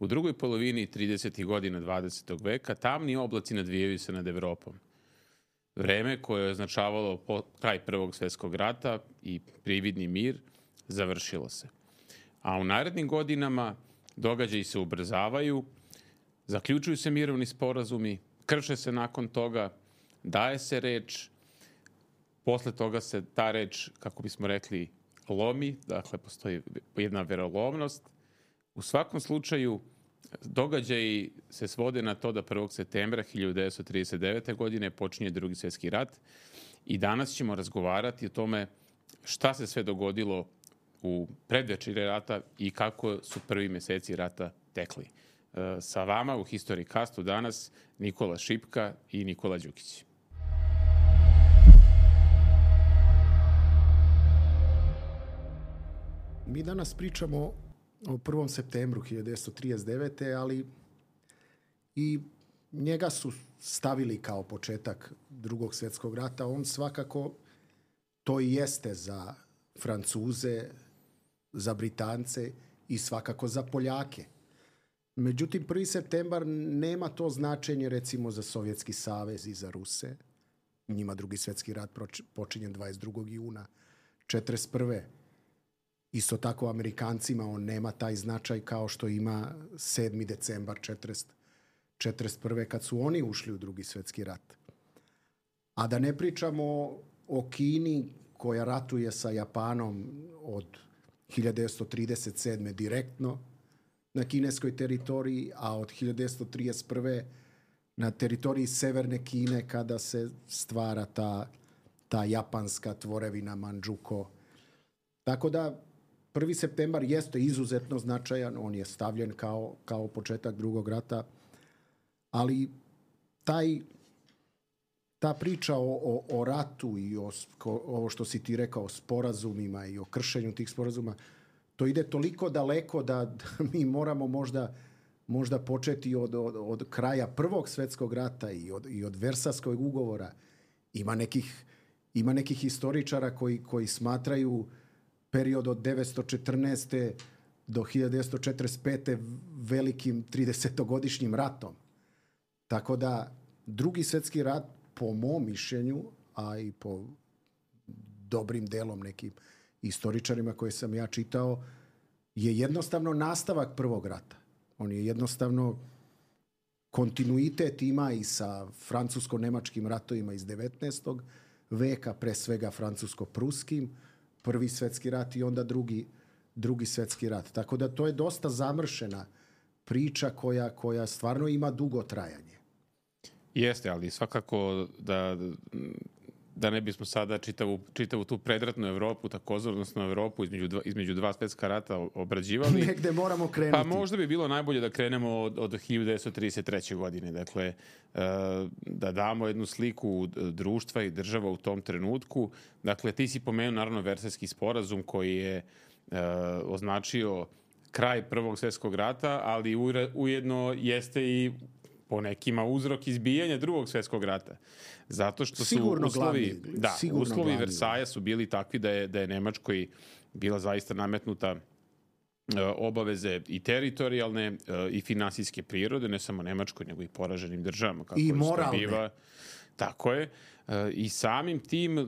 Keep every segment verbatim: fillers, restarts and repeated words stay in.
U drugoj polovini tridesetih godina dvadesetog veka tamni oblaci nadvijaju se nad Evropom. Vreme koje je označavalo kraj Prvog svjetskog rata i prividni mir završilo se. A u narednim godinama događaji se ubrzavaju, zaključuju se mirovni sporazumi, krše se nakon toga, daje se reč, posle toga se ta reč, kako bismo rekli, lomi, dakle postoji jedna verolovnost. U svakom slučaju, događaji se svode na to da prvog septembra hiljadu devetsto trideset devete. godine počinje Drugi svjetski rat i danas ćemo razgovarati o tome šta se sve dogodilo u predvečerje rata i kako su prvi meseci rata tekli. Sa vama u History Castu danas Nikola Šipka i Nikola Đukić. Mi danas pričamo o prvom septembru hiljadu devetsto trideset devete. ali i njega su stavili kao početak Drugog svjetskog rata. On svakako to i jeste za Francuze, za Britance i svakako za Poljake. Međutim, prvi septembar nema to značenje recimo za Sovjetski savez i za Ruse. Njima Drugi svjetski rat počinje dvadeset drugog juna četrdeset prve. Isto tako Amerikancima on nema taj značaj kao što ima sedmi decembar četrdeset prve. kad su oni ušli u Drugi svjetski rat. A da ne pričamo o Kini koja ratuje sa Japanom od hiljadu devetsto trideset sedme. direktno na kineskoj teritoriji, a od hiljadu devetsto trideset prve. na teritoriji severne Kine kada se stvara ta, ta japanska tvorevina Mandžuko. Tako da prvi septembar jeste izuzetno značajan, on je stavljen kao, kao početak drugog rata, ali taj, ta priča o, o, o ratu i o, ovo što si ti rekao, o sporazumima i o kršenju tih sporazuma, to ide toliko daleko da, da mi moramo možda, možda početi od, od, od kraja Prvog svjetskog rata i od, i od Versajskog ugovora. Ima nekih, ima nekih historičara koji, koji smatraju period od devetsto četrnaeste. do hiljadu devetsto četrdeset pete. velikim tridesetogodišnjim ratom. Tako da Drugi svjetski rat, po mom mišljenju, a i po dobrim delom nekim historičarima koje sam ja čitao, je jednostavno nastavak Prvog rata. On je jednostavno kontinuitet ima i sa francusko-nemačkim ratovima iz devetnaestog. veka, pre svega francusko-pruskim, Prvi svjetski rat i onda drugi, drugi svjetski rat. Tako da to je dosta zamršena priča koja, koja stvarno ima dugo trajanje. Jeste, ali svakako da, da ne bismo sada čitavu, čitavu tu predratnu Evropu, takozvanu, odnosno Evropu između dva, između dva svjetska rata obrađivali. Negde moramo krenuti. Pa možda bi bilo najbolje da krenemo od, od hiljadu devetsto trideset treće. godine. Dakle, da damo jednu sliku društva i država u tom trenutku. Dakle, ti si pomenuo naravno Versajski sporazum koji je označio kraj Prvog svjetskog rata, ali ujedno jeste i po nekima uzrok izbijanja Drugog svjetskog rata. Zato što su sigurno uslovi, glavni, da, sigurno uslovi glavni. Versaja su bili takvi da je, da je Nemačkoj bila zaista nametnuta uh, obaveze i teritorijalne uh, i finansijske prirode, ne samo Nemačkoj, nego i poraženim državama. Kako I moralne. Biva. Tako je. Uh, I samim tim uh,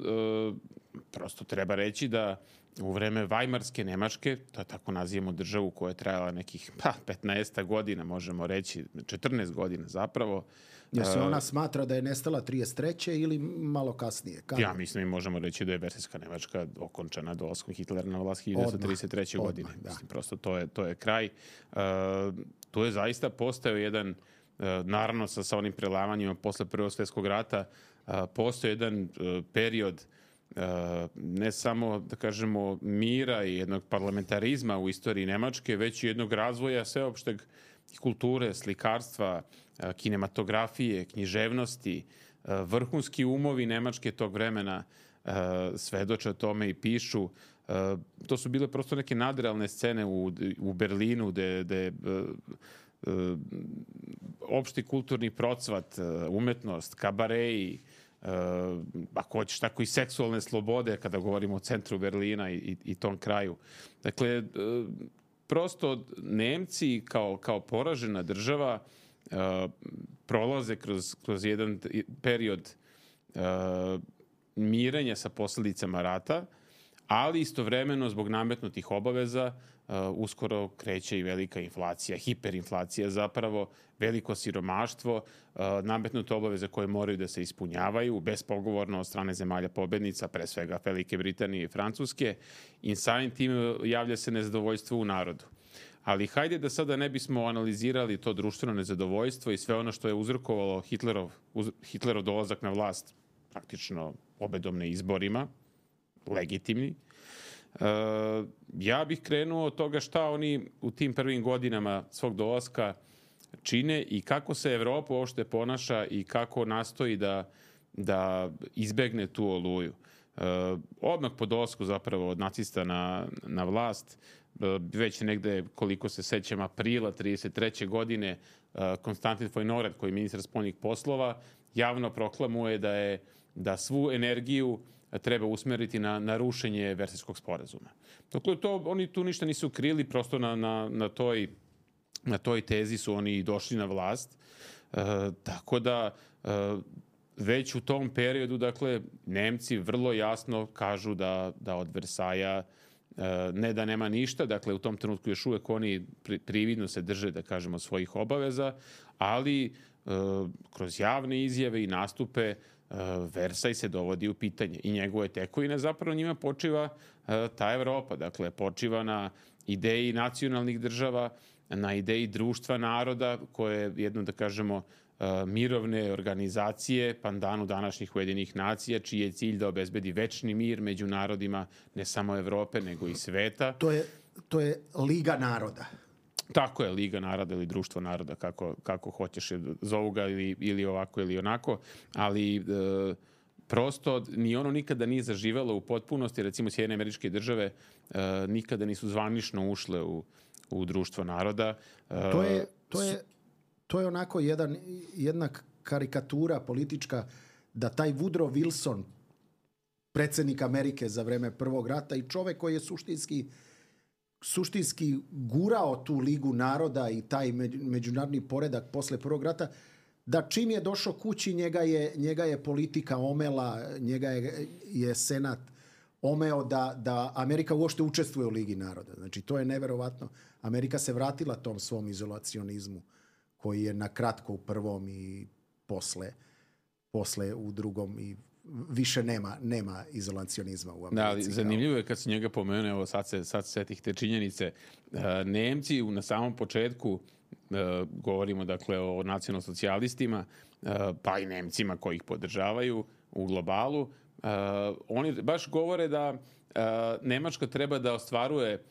prosto treba reći da u vreme Vajmarske Nemačke, to tako nazivamo državu koja je trajala nekih pa, petnaest godina, možemo reći, četrnaest godina zapravo. Jer se ona smatra da je nestala trideset treće ili malo kasnije? Kada? Ja mislim i možemo reći da je Versajska Nemačka okončana dolaskom Hitlera na vlast hiljadu devetsto trideset treće. Odmah, godine. da. Mislim, prosto to je, to je kraj. Uh, to je zaista postao jedan, uh, naravno sa, sa onim prelamanjima posle Prvog svjetskog rata, uh, postao jedan uh, period Uh, ne samo, da kažemo, mira i jednog parlamentarizma u istoriji Nemačke, već i jednog razvoja sveopšteg kulture, slikarstva, uh, kinematografije, književnosti. Uh, vrhunski umovi Nemačke tog vremena uh, svedoče o tome i pišu. Uh, to su bile prosto neke nadrealne scene u, u Berlinu, gde, gde uh, uh, opšti kulturni procvat, uh, umetnost, kabareji, Uh, ako hoćeš tako i seksualne slobode kada govorimo o centru Berlina i, i, i tom kraju. Dakle, uh, prosto Nemci kao, kao poražena država uh, prolaze kroz, kroz jedan period uh, mirenja sa posljedicama rata, ali istovremeno zbog nametnutih obaveza uh, uskoro kreće i velika inflacija, hiperinflacija zapravo, veliko siromaštvo, uh, nametnute obaveze koje moraju da se ispunjavaju bespogovorno od strane zemalja pobednica, pre svega Velike Britanije i Francuske, i samim tim javlja se nezadovoljstvo u narodu. Ali hajde da sada ne bismo analizirali to društveno nezadovoljstvo i sve ono što je uzrokovalo Hitlerov, uz, Hitlerov dolazak na vlast praktično pobedom na izborima, legitimni. E, ja bih krenuo od toga šta oni u tim prvim godinama svog dolaska čine i kako se Evropa uopšte ponaša i kako nastoji da, da izbegne tu oluju. E, odmah po dolasku zapravo od nacista na, na vlast, već negde, koliko se sećam, aprila trideset treće godine, Konstantin Fojnoret, koji je ministar spoljnih poslova, javno proklamuje da je da svu energiju treba usmeriti na, na rušenje Versajskog sporazuma. Dakle, to, oni tu ništa nisu krili, prosto na, na, na, toj, na toj tezi su oni došli na vlast. E, tako da e, već u tom periodu, dakle, Nemci vrlo jasno kažu da, da od Versaja ne da nema ništa, dakle u tom trenutku još uvek oni prividno se drže, da kažemo, svojih obaveza, ali e, kroz javne izjave i nastupe e, Versaj se dovodi u pitanje i njegove tekovine zapravo njima počiva e, ta Evropa, dakle počiva na ideji nacionalnih država, na ideji društva naroda koje je jedno, da kažemo, mirovne organizacije, pandanu današnjih Ujedinjenih nacija, čiji je cilj da obezbedi večni mir među narodima ne samo Evrope, nego i sveta. To je, to je Liga naroda. Tako je, Liga naroda ili Društvo naroda, kako, kako hoćeš, zovu ga ili, ili ovako ili onako, ali e, prosto ni ono nikada nije zaživelo u potpunosti. Recimo, Sjedinjene Američke Države e, nikada nisu zvanično ušle u, u Društvo naroda. E, to je, to je To je onako jedan, jedna karikatura politička da taj Woodrow Wilson, predsjednik Amerike za vreme Prvog rata i čovjek koji je suštinski, suštinski gurao tu Ligu naroda i taj međunarodni poredak posle Prvog rata, da čim je došao kući njega je, njega je politika omela, njega je, je Senat omeo da, da Amerika uopšte učestvuje u Ligi naroda. Znači to je neverovatno. Amerika se vratila tom svom izolacionizmu koji je na kratko u prvom i posle, posle u drugom i više nema, nema izolacionizma u Americi. Da, ali zanimljivo je kad se njega pomenu, evo sad se, sad se setih te činjenice. Nemci na samom početku, govorimo dakle o nacionalsocijalistima, pa i Nemcima koji ih podržavaju u globalu, oni baš govore da Nemačka treba da ostvaruje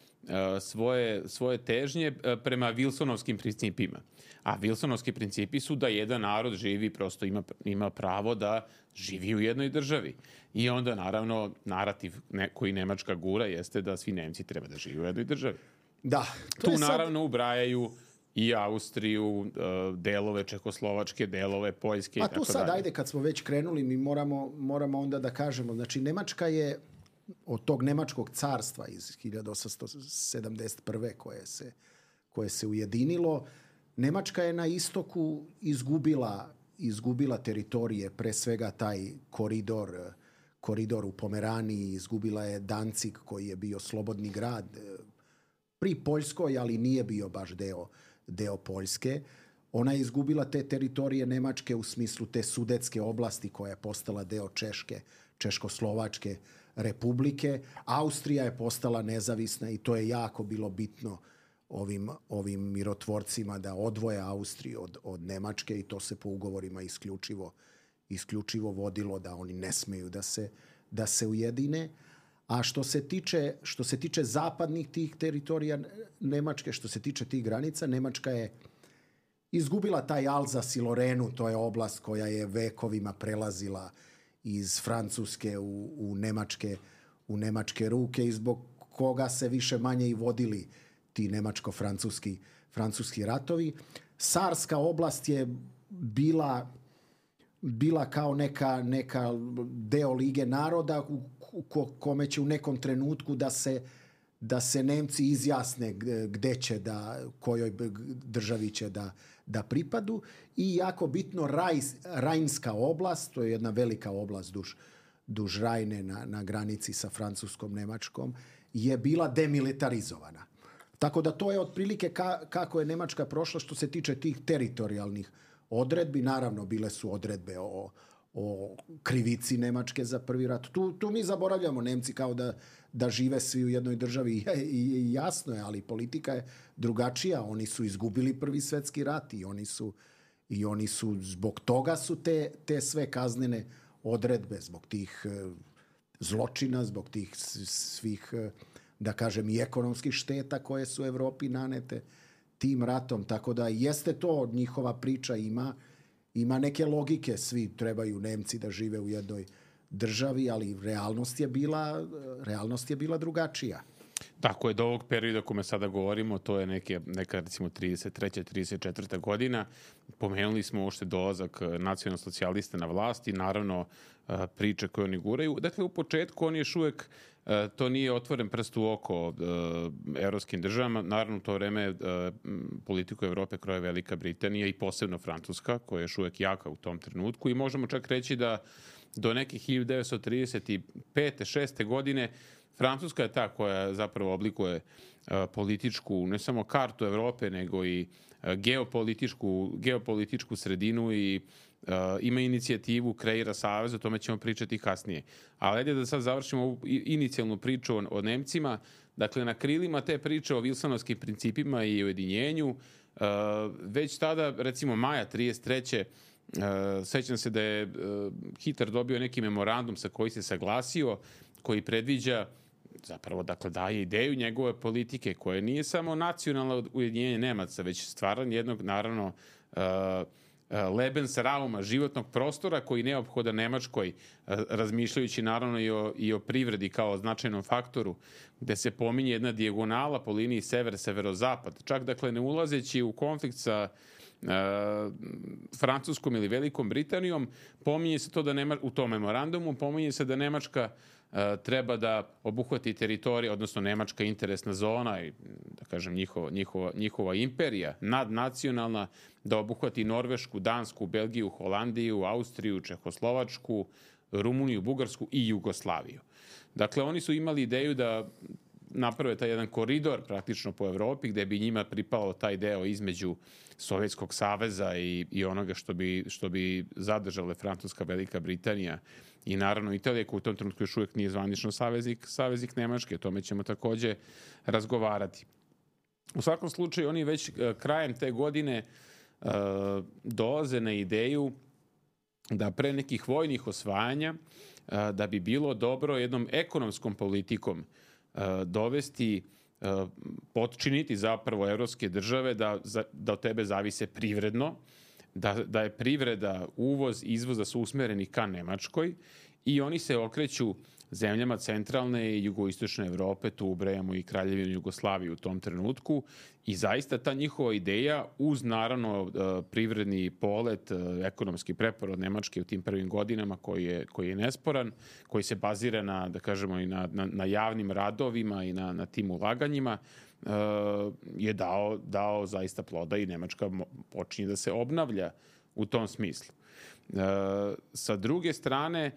svoje, svoje težnje prema Wilsonovskim principima. A Wilsonovski principi su da jedan narod živi, prosto ima, ima pravo da živi u jednoj državi. I onda, naravno, narativ ne, koji Nemačka gura jeste da svi Nemci treba da žive u jednoj državi. Da. Tu, naravno, sad ubrajaju i Austriju, delove Čekoslovačke, delove Poljske i tako dalje. A tu sad, ajde, kad smo već krenuli, mi moramo, moramo onda da kažemo. Znači, Nemačka je od tog Nemačkog carstva iz hiljadu osamsto sedamdeset prve koje se, koje se ujedinilo, Nemačka je na istoku izgubila, izgubila teritorije, pre svega taj koridor, koridor u Pomeraniji, izgubila je Danzig koji je bio slobodni grad pri Poljskoj, ali nije bio baš deo, deo Poljske. Ona je izgubila te teritorije Nemačke u smislu te Sudetske oblasti koja je postala deo Češke, Češko-Slovačke republike. Austrija je postala nezavisna i to je jako bilo bitno ovim, ovim mirotvorcima da odvoje Austriju od, od Nemačke i to se po ugovorima isključivo, isključivo vodilo da oni ne smeju da se, da se ujedine. A što se tiče, što se tiče zapadnih tih teritorija Nemačke, što se tiče tih granica, Nemačka je izgubila taj Alzas i Lorenu, to je oblast koja je vekovima prelazila iz Francuske u, u, nemačke, u nemačke ruke i zbog koga se više manje i vodili ti nemačko-francuski francuski ratovi. Sarska oblast je bila, bila kao neka, neka deo Lige naroda u kome će u nekom trenutku da se, da se Nemci izjasne gde će da, kojoj državi će da, da pripadu. I jako bitno, Rajs, Rajnska oblast, to je jedna velika oblast duž, duž Rajne na, na granici sa Francuskom, Nemačkom, je bila demilitarizovana. Tako da to je otprilike ka, kako je Nemačka prošla što se tiče tih teritorijalnih odredbi. Naravno, bile su odredbe o, o krivici Nemačke za prvi rat. Tu, tu mi zaboravljamo, Nemci kao da, da žive svi u jednoj državi i, i, i jasno je, ali politika je drugačija. Oni su izgubili Prvi svjetski rat i oni su, i oni su zbog toga su te, te sve kaznene odredbe, zbog tih zločina, zbog tih svih, da kažem, i ekonomskih šteta koje su Evropi nanete tim ratom. Tako da jeste to, njihova priča ima, ima neke logike. Svi trebaju Nemci da žive u jednoj državi, ali realnost je bila, realnost je bila drugačija. Tako je, do ovog perioda o kome sada govorimo, to je neke, neka recimo trideset treća trideset četvrta godina. Pomenuli smo uopšte dolazak nacionalno-socijalista na vlast i naravno priče koje oni guraju. Dakle, u početku on još uvek, to nije otvoren prst u oko evropskim državama. Naravno, u to vreme politiku Evrope kroje Velika Britanija i posebno Francuska, koja je još uvek jaka u tom trenutku. I možemo čak reći da do neke hiljadu devetsto trideset pete šeste godine Francuska je ta koja zapravo oblikuje uh, političku, ne samo kartu Evrope, nego i uh, geopolitičku, geopolitičku sredinu i uh, ima inicijativu, kreira savez, o tome ćemo pričati kasnije. Ali ajde da sad završimo ovu inicijalnu priču o, o Nemcima. Dakle, na krilima te priče o Wilsonovskim principima i ujedinjenju, uh, već tada, recimo maja trideset treće Uh, sećam se da je uh, Hitler dobio neki memorandum sa koji se saglasio, koji predviđa zapravo, dakle, daje ideju njegove politike koje nije samo nacionalno ujedinjenje Nemaca, već stvaranje jednog, naravno, uh, uh, Lebensrauma, životnog prostora koji je neophodan Nemačkoj, uh, razmišljajući naravno i o, i o privredi kao značajnom faktoru, gde se pominje jedna dijagonala po liniji sever-severozapad. Čak, dakle, ne ulazeći u konflikt sa Uh, Francuskom ili Velikom Britanijom, pominje se to da Nema, u tom memorandumu pominje se da Nemačka uh, treba da obuhvati teritoriju, odnosno Nemačka interesna zona i, da kažem, njihova, njihova, njihova imperija nadnacionalna, da obuhvati Norvešku, Dansku, Belgiju, Holandiju, Austriju, Čehoslovačku, Rumuniju, Bugarsku i Jugoslaviju. Dakle, oni su imali ideju da naprave taj jedan koridor praktično po Evropi gde bi njima pripalo taj deo između Sovjetskog saveza i, i onoga što bi, što bi zadržale Francuska, Velika Britanija i naravno Italija, koja u tom trenutku još uvijek nije zvanično saveznik, saveznik Nemačke. O tome ćemo takođe razgovarati. U svakom slučaju, oni već krajem te godine uh, dolaze na ideju da pre nekih vojnih osvajanja uh, da bi bilo dobro jednom ekonomskom politikom uh, dovesti, uh, potčiniti zapravo evropske države da, da od tebe zavise privredno, da, da je privreda, uvoz, izvoz da su usmereni ka Nemačkoj i oni se okreću zemljama centralne i jugoistočne Evrope, tu ubrajamo i Kraljevinu Jugoslaviju u tom trenutku i zaista ta njihova ideja uz naravno privredni polet, ekonomski preporod Nemačke u tim prvim godinama koji je, koji je nesporan, koji se bazira na, da kažemo, i na, na, na javnim radovima i na, na tim ulaganjima, je dao, dao zaista ploda i Nemačka počinje da se obnavlja u tom smislu. Sa druge strane,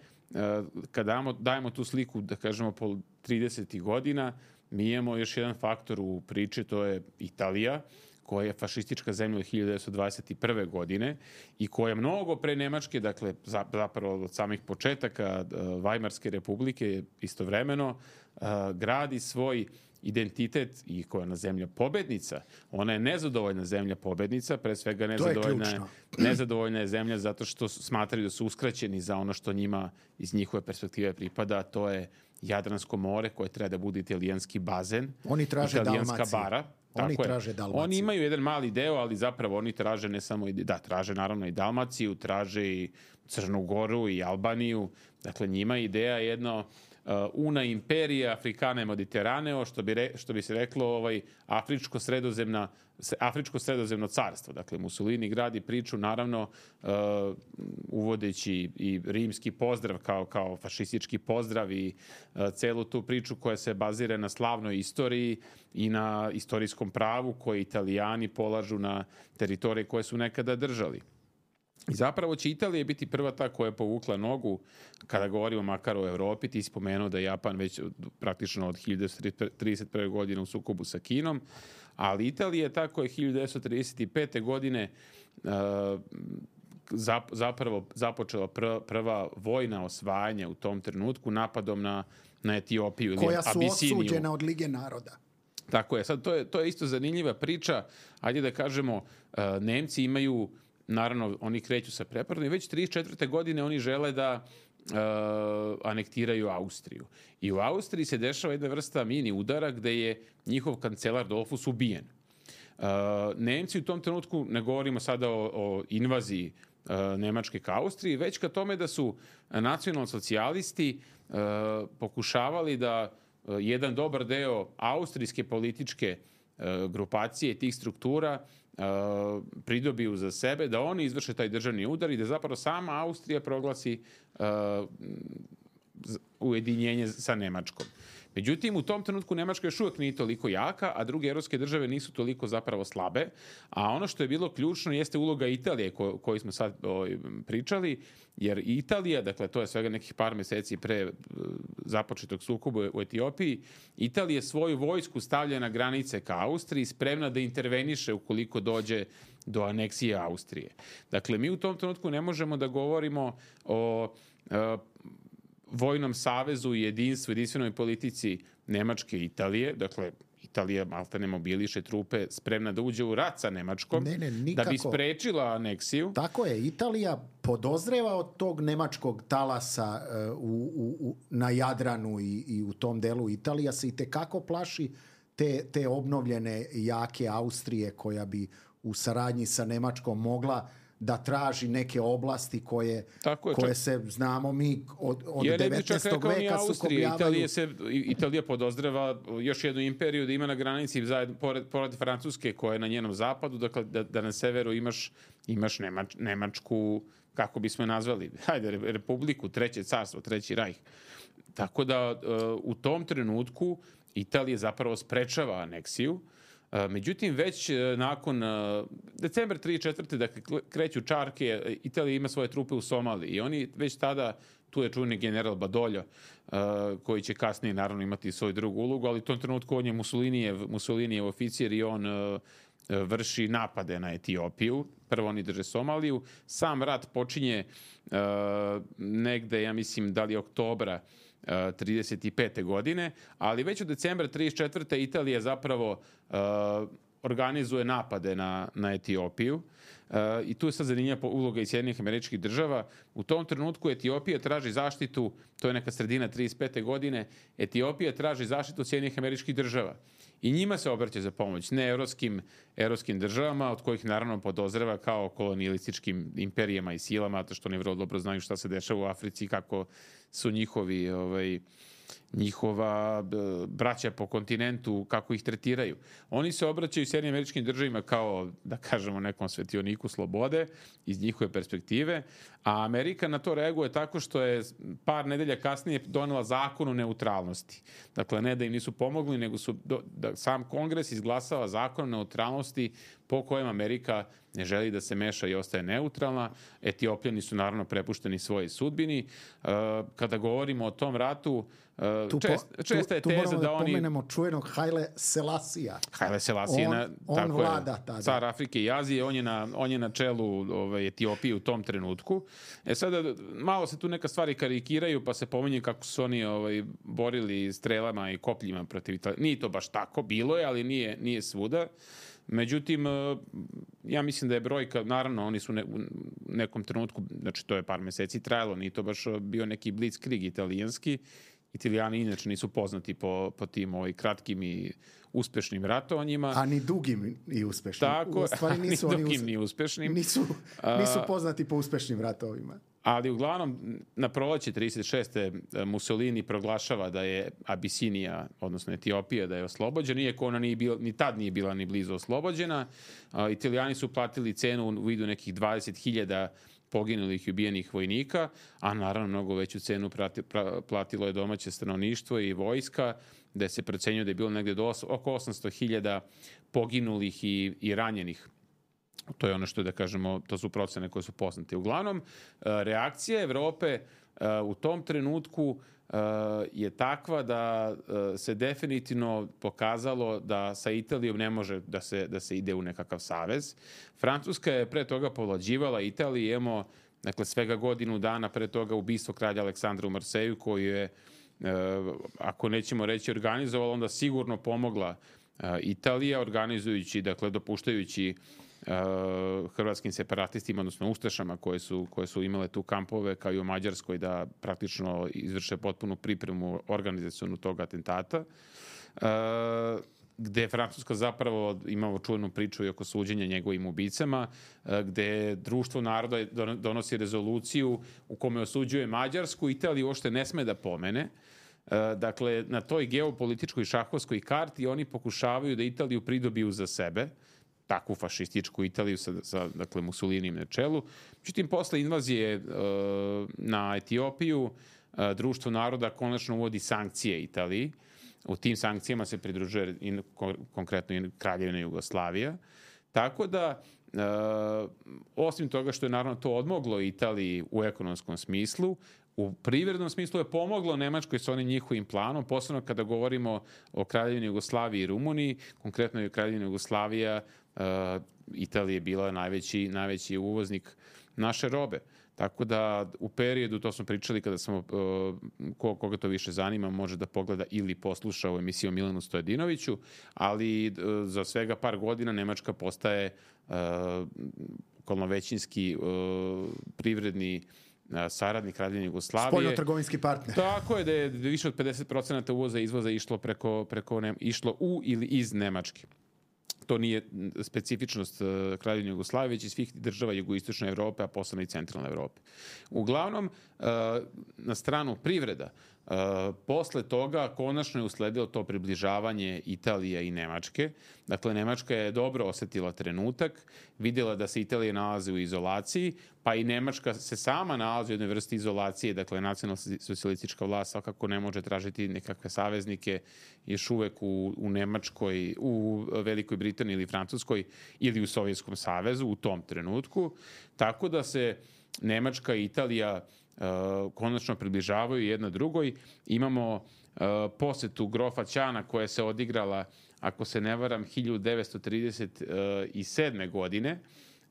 kada dajemo, dajemo tu sliku, da kažemo, po tridesetih godina, mi imamo još jedan faktor u priči, to je Italija, koja je fašistička zemlja od hiljadu devetsto dvadeset prve. godine i koja mnogo pre Nemačke, dakle zapravo od samih početaka Vajmarske republike istovremeno, gradi svoj identitet i koja je na zemlja pobednica. Ona je nezadovoljna zemlja pobednica, pre svega nezadovoljna je, nezadovoljna je zemlja zato što smatraju da su uskraćeni za ono što njima iz njihove perspektive pripada, a to je Jadransko more koje treba da bude italijanski bazen, oni traže italijanska Dalmaciju. bara. Oni Tako traže je. Dalmaciju. Oni imaju jedan mali deo, ali zapravo oni traže ne samo, da, traže naravno i Dalmaciju, traže i Crnu Goru i Albaniju. Dakle, njima ideja je jedno una imperija Afrikane Mediteraneo, što bi, re, što bi se reklo ovaj, Afričko-sredozemna Afričko-sredozemno carstvo. Dakle, Mussolini gradi priču, naravno, uh, uvodeći i rimski pozdrav kao, kao fašistički pozdrav i uh, celu tu priču koja se bazira na slavnoj istoriji i na istorijskom pravu koje Italijani polažu na teritorije koje su nekada držali. I zapravo će Italija biti prva ta koja je povukla nogu, kada govorimo makar o Evropi. Ti si spomenuo da je Japan već praktično od hiljadu devetsto trideset prve. godine u sukobu sa Kinom, ali Italija je ta koja je hiljadu devetsto trideset pete. godine uh, zapravo započela prva, prva vojna osvajanja u tom trenutku napadom na, na Etiopiju ili koja su Abisiniju. Osuđena od Lige naroda. Tako je. Sad, to je, to je isto zanimljiva priča. Ajde da kažemo, uh, Nemci imaju, naravno, oni kreću sa preporodom i već trideset četvrte. godine oni žele da uh, anektiraju Austriju. I u Austriji se dešava jedna vrsta mini udara gde je njihov kancelar Dollfuss ubijen. Uh, Nemci u tom trenutku, ne govorimo sada o, o invaziji uh, Nemačke ka Austriji, već ka tome da su nacionalsocijalisti uh, pokušavali da uh, jedan dobar deo austrijske političke uh, grupacije tih struktura uh, pridobiju za sebe, da oni izvrše taj državni udar i da zapravo sama Austrija proglasi uh, ujedinjenje sa Nemačkom. Međutim, u tom trenutku Nemačka još uvijek nije toliko jaka, a druge evropske države nisu toliko zapravo slabe. A ono što je bilo ključno jeste uloga Italije ko, koju smo sad o, pričali, jer Italija, dakle to je svega nekih par meseci pre započetog sukoba u Etiopiji, Italija svoju vojsku stavlja na granice ka Austriji, spremna da interveniše ukoliko dođe do aneksije Austrije. Dakle, mi u tom trenutku ne možemo da govorimo o o vojnom savezu i jedinstvu, jedinstvenoj politici Nemačke i Italije. Dakle, Italija maltene mobiliše trupe spremna da uđe u rat sa Nemačkom, ne, ne, da bi sprečila aneksiju. Tako je, Italija podozreva od tog nemačkog talasa uh, u, u, na Jadranu i, i u tom delu. Italija se i tekako plaši te, te obnovljene jake Austrije koja bi u saradnji sa Nemačkom mogla da traži neke oblasti koje, je, koje čak, se, znamo mi, od, od devetnaestog veka sukobljavaju. Italija, se, Italija podozreva još jednu imperiju da ima na granici, zajedno, pored, pored Francuske koja je na njenom zapadu, dakle da, da na severu imaš, imaš Nemač, Nemačku, kako bismo je nazvali, hajde, republiku, treće carstvo, treći rajh. Tako da u tom trenutku Italija zapravo sprečava aneksiju. Međutim, već nakon decembra trideset četvrte. dakle, kreću čarke, Italija ima svoje trupe u Somaliji i oni već tada, tu je čuveni general Badoglio, koji će kasnije naravno imati svoju drugu ulogu, ali u tom trenutku on je Mussolinijev, Mussolinijev oficir i on vrši napade na Etiopiju. Prvo oni drže Somaliju. Sam rat počinje negde, ja mislim, da li oktobra trideset pete. godine, ali već od decembra trideset četvrte. Italija zapravo uh, organizuje napade na, na Etiopiju uh, i tu je sad zanimljiva uloga i Sjedinjenih Američkih Država. U tom trenutku Etiopija traži zaštitu, to je neka sredina trideset pete. godine, Etiopija traži zaštitu Sjedinjenih Američkih Država. I njima se obraća za pomoć, ne evropskim, evropskim državama, od kojih naravno podozreva kao kolonijalističkim imperijama i silama, zato što oni vrlo dobro znaju šta se dešava u Africi i kako su njihovi, ovaj, njihova braća po kontinentu, kako ih tretiraju. Oni se obraćaju Sjedinjenim Američkim Državama kao, da kažemo, nekom svetioniku slobode iz njihove perspektive, a Amerika na to reaguje tako što je par nedelja kasnije donela zakon o neutralnosti. Dakle, ne da im nisu pomogli, nego su do, da sam Kongres izglasava zakon o neutralnosti po kojem Amerika ne želi da se meša i ostaje neutralna. Etiopljani su naravno prepušteni svojoj sudbini. Kada govorimo o tom ratu, tu čest, po, česta je tu, teza tu da oni... Tu pomenemo čuvenog Haile Selasija. Haile Selasije, on, na, on tako vlada je, tada. Car Afrike i Azije, on je na, on je na čelu ovaj, Etiopije u tom trenutku. E sada, malo se tu neka stvari karikiraju, pa se pominje kako su oni ovaj, borili strelama i kopljima protiv Italije. Nije to baš tako, bilo je, ali nije, nije svuda. Međutim, ja mislim da je brojka, naravno, oni su ne, u nekom trenutku, znači to je par meseci trajalo, nije to baš bio neki blitzkrieg italijanski. Italijani inače nisu poznati po, po tim ovaj, kratkim i uspešnim ratovanjima. A ni dugim i uspešnim. Tako, u stvari nisu ni oni dugim us... ni uspešnim. Nisu, nisu poznati po uspešnim ratovima. Ali uglavnom na proleće trideset šeste Mussolini proglašava da je Abisinija, odnosno Etiopija, da je oslobođena, iako ona nije bila, ni tad nije bila ni blizu oslobođena. Italijani su platili cenu u vidu nekih dvadeset hiljada poginulih i ubijenih vojnika, a naravno mnogo veću cenu prati, pra, platilo je domaće stanovništvo i vojska, gde se procenjuje da je bilo negde do os, oko osamsto hiljada poginulih i, i ranjenih. To je ono što da kažemo, to su procene koje su poznate. Uglavnom, reakcija Evrope u tom trenutku je takva da se definitivno pokazalo da sa Italijom ne može da se, da se ide u nekakav savez. Francuska je pre toga povlađivala Italiji, imamo dakle, svega godinu dana pre toga ubistvo kralja Aleksandra u Marseju, koju je, ako nećemo reći organizovala, onda sigurno pomogla Italija, organizujući, dakle, dopuštajući Uh, hrvatskim separatistima, odnosno ustašama koje su, koje su imale tu kampove, kao i u Mađarskoj, da praktično izvrše potpunu pripremu organizacionu tog atentata, uh, gde je Francuska zapravo imala čuvenu priču i oko suđenja njegovim ubicama, uh, gde društvo naroda donosi rezoluciju u kome osuđuje Mađarsku, Italiju uopšte ne sme da pomene. Uh, dakle, na toj geopolitičkoj šahovskoj karti oni pokušavaju da Italiju pridobiju za sebe, takvu fašističku Italiju sa, sa dakle, Mussolinim na čelu. Međutim, posle invazije uh, na Etiopiju, uh, društvo naroda konačno uvodi sankcije Italiji. U tim sankcijama se pridružuje in, konkretno i Kraljevina Jugoslavija. Tako da, uh, osim toga što je naravno to odmoglo Italiji u ekonomskom smislu, u privrednom smislu je pomoglo Nemačkoj sa onim njihovim planom, posebno kada govorimo o Kraljevini Jugoslaviji i Rumuniji, konkretno je Kraljevina Jugoslavija, uh, Italija je bila najveći, najveći uvoznik naše robe. Tako da u periodu, to smo pričali kada smo, uh, ko, koga to više zanima, može da pogleda ili posluša u emisiju Milanu Stojadinoviću, ali uh, za svega par godina Nemačka postaje uh, okolnovećinski uh, privredni saradnik Kraljevine Jugoslavije. Spoljno-trgovinski partner. Tako je da je više od pedeset procenata uvoza i izvoza išlo preko, preko ne, išlo u ili iz Nemačke. To nije specifičnost Kraljevine Jugoslavije, već i svih država jugoistočne Evrope, a posebno i centralne Evrope. Uglavnom, na stranu privreda, posle toga konačno je usledilo to približavanje Italije i Nemačke. Dakle, Nemačka je dobro osetila trenutak, vidjela da se Italija nalazi u izolaciji, pa i Nemačka se sama nalazi u jednoj vrsti izolacije, dakle, nacionalna socijalistička vlast svakako ne može tražiti nekakve saveznike još uvek u, u Nemačkoj, u Velikoj Britaniji ili Francuskoj ili u Sovjetskom savezu u tom trenutku. Tako da se Nemačka i Italija Uh, konačno približavaju jedna drugoj. Imamo uh, posetu grofa Ćana koja se odigrala, ako se ne varam, hiljadu devetsto trideset sedme. godine,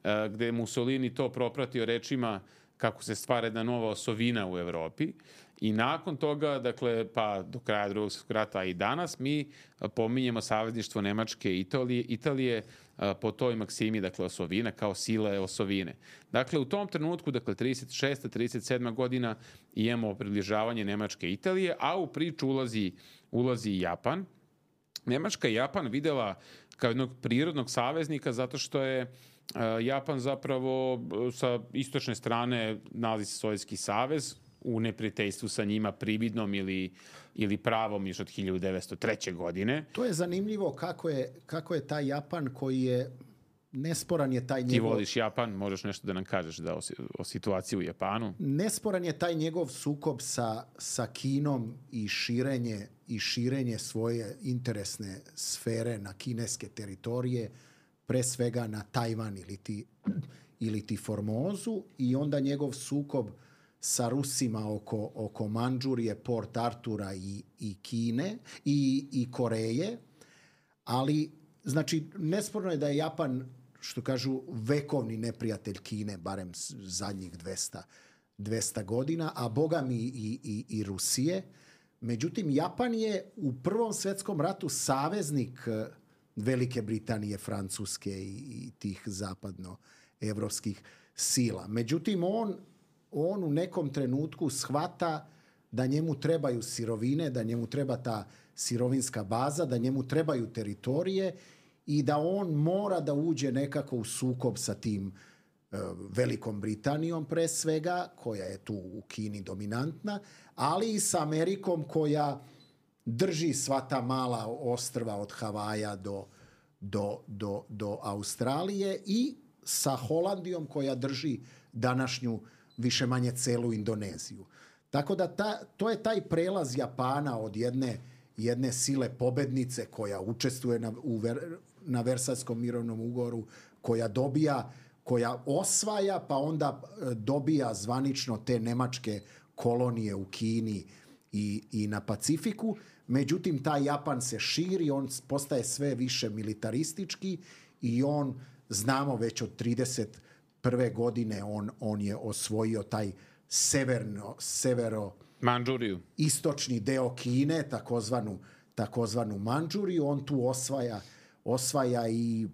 uh, gde je Mussolini to propratio rečima kako se stvara jedna nova osovina u Evropi. I nakon toga, dakle, pa do kraja Drugog svjetskog rata i danas, mi pominjemo savezništvo Nemačke i Italije, Italije po toj maksimi, dakle, osovina, kao sile osovine. Dakle, u tom trenutku, dakle, trideset šesta trideset sedma. godina, imamo približavanje Nemačke i Italije, a u priču ulazi, ulazi i Japan. Nemačka i Japan videla kao jednog prirodnog saveznika zato što je Japan zapravo sa istočne strane nalazi se Sovjetski savez, u neprijateljstvu sa njima prividnom ili, ili pravom još od hiljadu devetsto treće. godine. To je zanimljivo kako je, kako je taj Japan koji je, nesporan je taj njegov... Ti voliš Japan, možeš nešto da nam kažeš da o, o situaciji u Japanu? Nesporan je taj njegov sukob sa, sa Kinom i širenje, i širenje svoje interesne sfere na kineske teritorije, pre svega na Tajvan ili ti, ili ti Formozu, i onda njegov sukob sa Rusima oko, oko Mandžurije, Port Artura i, i Kine i, i Koreje. Ali, znači, nesporno je da je Japan, što kažu, vekovni neprijatelj Kine, barem zadnjih dvesta godina, a boga mi i, i, i Rusije. Međutim, Japan je u Prvom svjetskom ratu saveznik Velike Britanije, Francuske i, i tih zapadnoevropskih sila. Međutim, on on u nekom trenutku shvata da njemu trebaju sirovine, da njemu treba ta sirovinska baza, da njemu trebaju teritorije i da on mora da uđe nekako u sukob sa tim Velikom Britanijom pre svega, koja je tu u Kini dominantna, ali i sa Amerikom koja drži sva ta mala ostrva od Havaja do, do, do, do Australije i sa Holandijom koja drži današnju više manje celu Indoneziju. Tako da ta, to je taj prelaz Japana od jedne, jedne sile pobednice koja učestvuje na, u ver, na Versajskom mirovnom ugovoru, koja dobija, koja osvaja pa onda dobija zvanično te nemačke kolonije u Kini i, i na Pacifiku. Međutim, taj Japan se širi, on postaje sve više militaristički i on, znamo već od trideset prve godine, on, on je osvojio taj severno, severo Mandžuriju. Istočni deo Kine, takozvanu, takozvanu Mandžuriju. On tu osvaja, osvaja i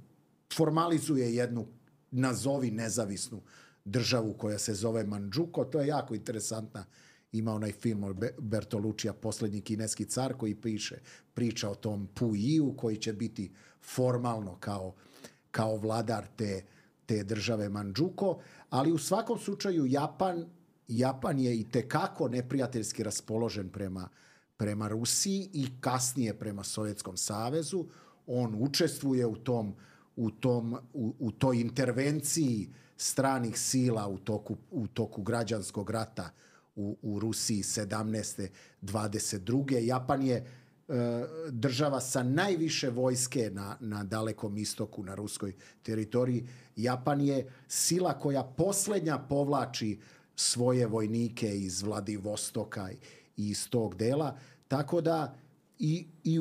formalizuje jednu, nazovi nezavisnu državu koja se zove Mandžuko. To je jako interesantna. Ima onaj film od Bertolucija, Poslednji kineski car, koji piše, priča o tom Puiju koji će biti formalno kao, kao vladar te, te države Mandžuko. Ali u svakom slučaju Japan, Japan je i tekako neprijateljski raspoložen prema, prema Rusiji i kasnije prema Sovjetskom savezu. On učestvuje u tom, u tom, u, u toj intervenciji stranih sila u toku, u toku građanskog rata u, u Rusiji sedamnaeste dvadeset druge. Japan je e, država sa najviše vojske na, na Dalekom istoku, na ruskoj teritoriji. Japan je sila koja posljednja povlači svoje vojnike iz Vladivostoka i iz tog dela. Tako da i, i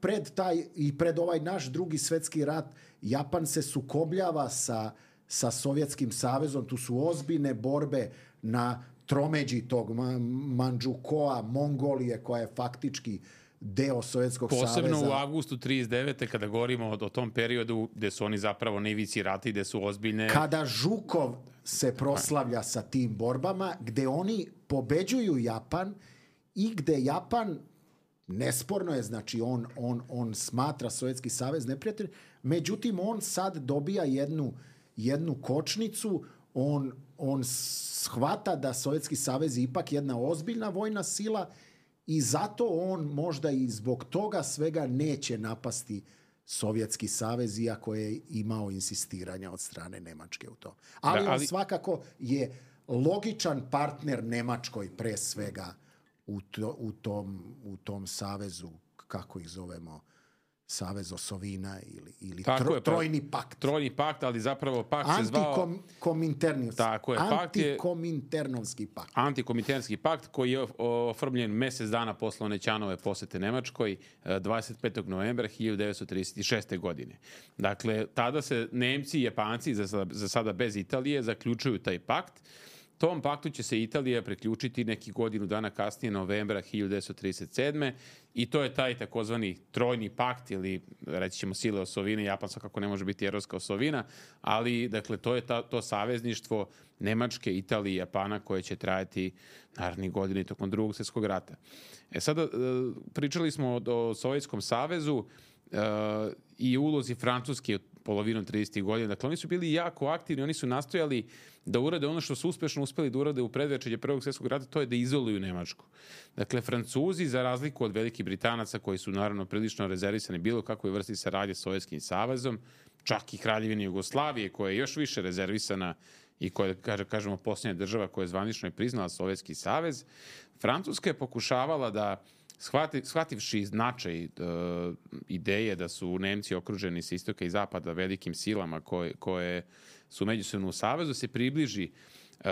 pred, taj, i pred ovaj naš drugi svjetski rat Japan se sukobljava sa, sa Sovjetskim savezom. Tu su ozbiljne borbe na tromeđi tog Mandžukoa, Mongolije, koja je faktički deo Sovjetskog Posebno saveza. Posebno u avgustu trideset devete kada govorimo o, o tom periodu gde su oni zapravo na ivici rata i gde su ozbiljne... Kada Žukov se proslavlja sa tim borbama, gde oni pobeđuju Japan i gde Japan, nesporno je, znači on, on, on smatra Sovjetski savez neprijatelj, međutim on sad dobija jednu, jednu kočnicu, on, on shvata da Sovjetski savez je ipak jedna ozbiljna vojna sila i zato on možda i zbog toga svega neće napasti Sovjetski savez, iako je imao insistiranja od strane Nemačke u tom. Ali, da, ali... on svakako je logičan partner Nemačkoj pre svega u, to, u, tom, u tom savezu, kako ih zovemo, Savez Osovina ili, ili tro, je, Trojni pakt. Trojni pakt, ali zapravo pakt se zvao... Antikominternovski pakt. Antikominternovski pakt koji je oformljen mesec dana posle Onećanove posete Nemačkoj, dvadeset petog novembra hiljadu devetsto trideset šeste. godine. Dakle, tada se Nemci i Japanci, za sada, za sada bez Italije, zaključuju taj pakt. Tom paktu će se Italija priključiti neki godinu dana kasnije, novembra hiljadu devetsto trideset sedme. I to je taj takozvani trojni pakt ili reći ćemo sile osovine. Japan svakako ne može biti evropska osovina, ali dakle to je ta, to savezništvo Nemačke, Italije i Japana koje će trajati narednih godina tokom drugog svjetskog rata. E sada pričali smo o, o Sovjetskom savezu uh, i ulozi Francuske od polovinom tridesetih godina. Dakle, oni su bili jako aktivni, oni su nastojali da urade ono što su uspešno uspeli da urade u predvečerje Prvog svjetskog rata, to je da izoluju Nemačku. Dakle, Francuzi, za razliku od velikih Britanaca, koji su naravno prilično rezervisani bilo kakvoj vrsti saradnje s Sovjetskim savezom, čak i Kraljevine Jugoslavije, koja je još više rezervisana i koja, kaže, kažemo, posljednja država koja je zvanično je priznala Sovjetski savez, Francuska je pokušavala da Shvati, shvativši značaj uh, ideje da su Nemci okruženi s istoka i zapada velikim silama koje, koje su međusobno u savezu, se približi uh,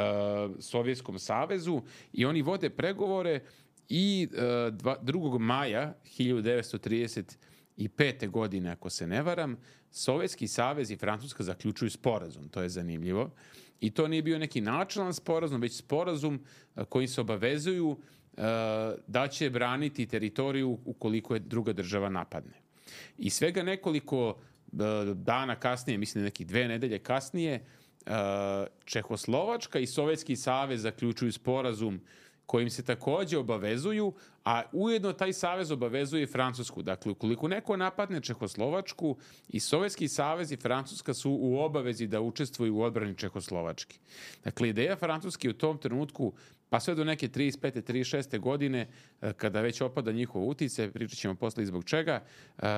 Sovjetskom savezu i oni vode pregovore i uh, dva, drugog maja hiljadu devetsto trideset pete. godine, ako se ne varam, Sovjetski savez i Francuska zaključuju sporazum. To je zanimljivo. I to nije bio neki načelan sporazum, već sporazum uh, kojim se obavezuju da će braniti teritoriju ukoliko je druga država napadne. I svega nekoliko dana kasnije, mislim nekih dve nedelje kasnije, Čehoslovačka i Sovjetski savez zaključuju sporazum kojim se takođe obavezuju, a ujedno taj savez obavezuje i Francusku. Dakle, ukoliko neko napadne Čehoslovačku, i Sovjetski savez i Francuska su u obavezi da učestvuju u odbrani Čehoslovačke. Dakle, ideja Francuske u tom trenutku, pa sve do neke trideset pete trideset šeste godine, kada već opada njihov uticaj, pričat ćemo posle i zbog čega,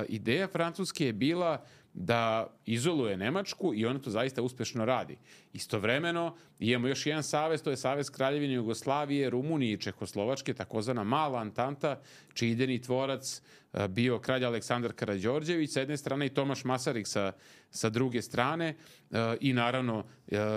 ideja Francuske je bila da izoluje Nemačku i ona to zaista uspešno radi. Istovremeno imamo još jedan savez, to je Savez Kraljevine Jugoslavije, Rumunije i Čehoslovačke, takozvana mala Antanta, čiji idejni tvorac bio kralj Aleksandar Karađorđević sa jedne strane i Tomaš Masaryk sa, sa druge strane i naravno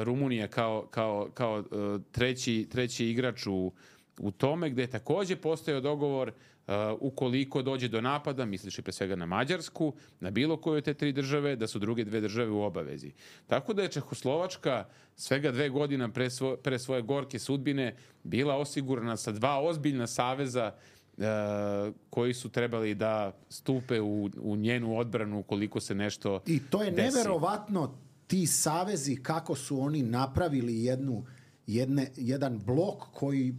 Rumunija kao, kao, kao treći, treći igrač u, u tome, gde je takođe postojao dogovor Uh, ukoliko dođe do napada, misliš i pre svega na Mađarsku, na bilo koju od te tri države, da su druge dve države u obavezi. Tako da je Čehoslovačka svega dve godina pre, svo, pre svoje gorke sudbine bila osigurana sa dva ozbiljna saveza uh, koji su trebali da stupe u, u njenu odbranu ukoliko se nešto desi. I to je desi. Neverovatno, ti savezi, kako su oni napravili jednu, jedne, jedan blok koji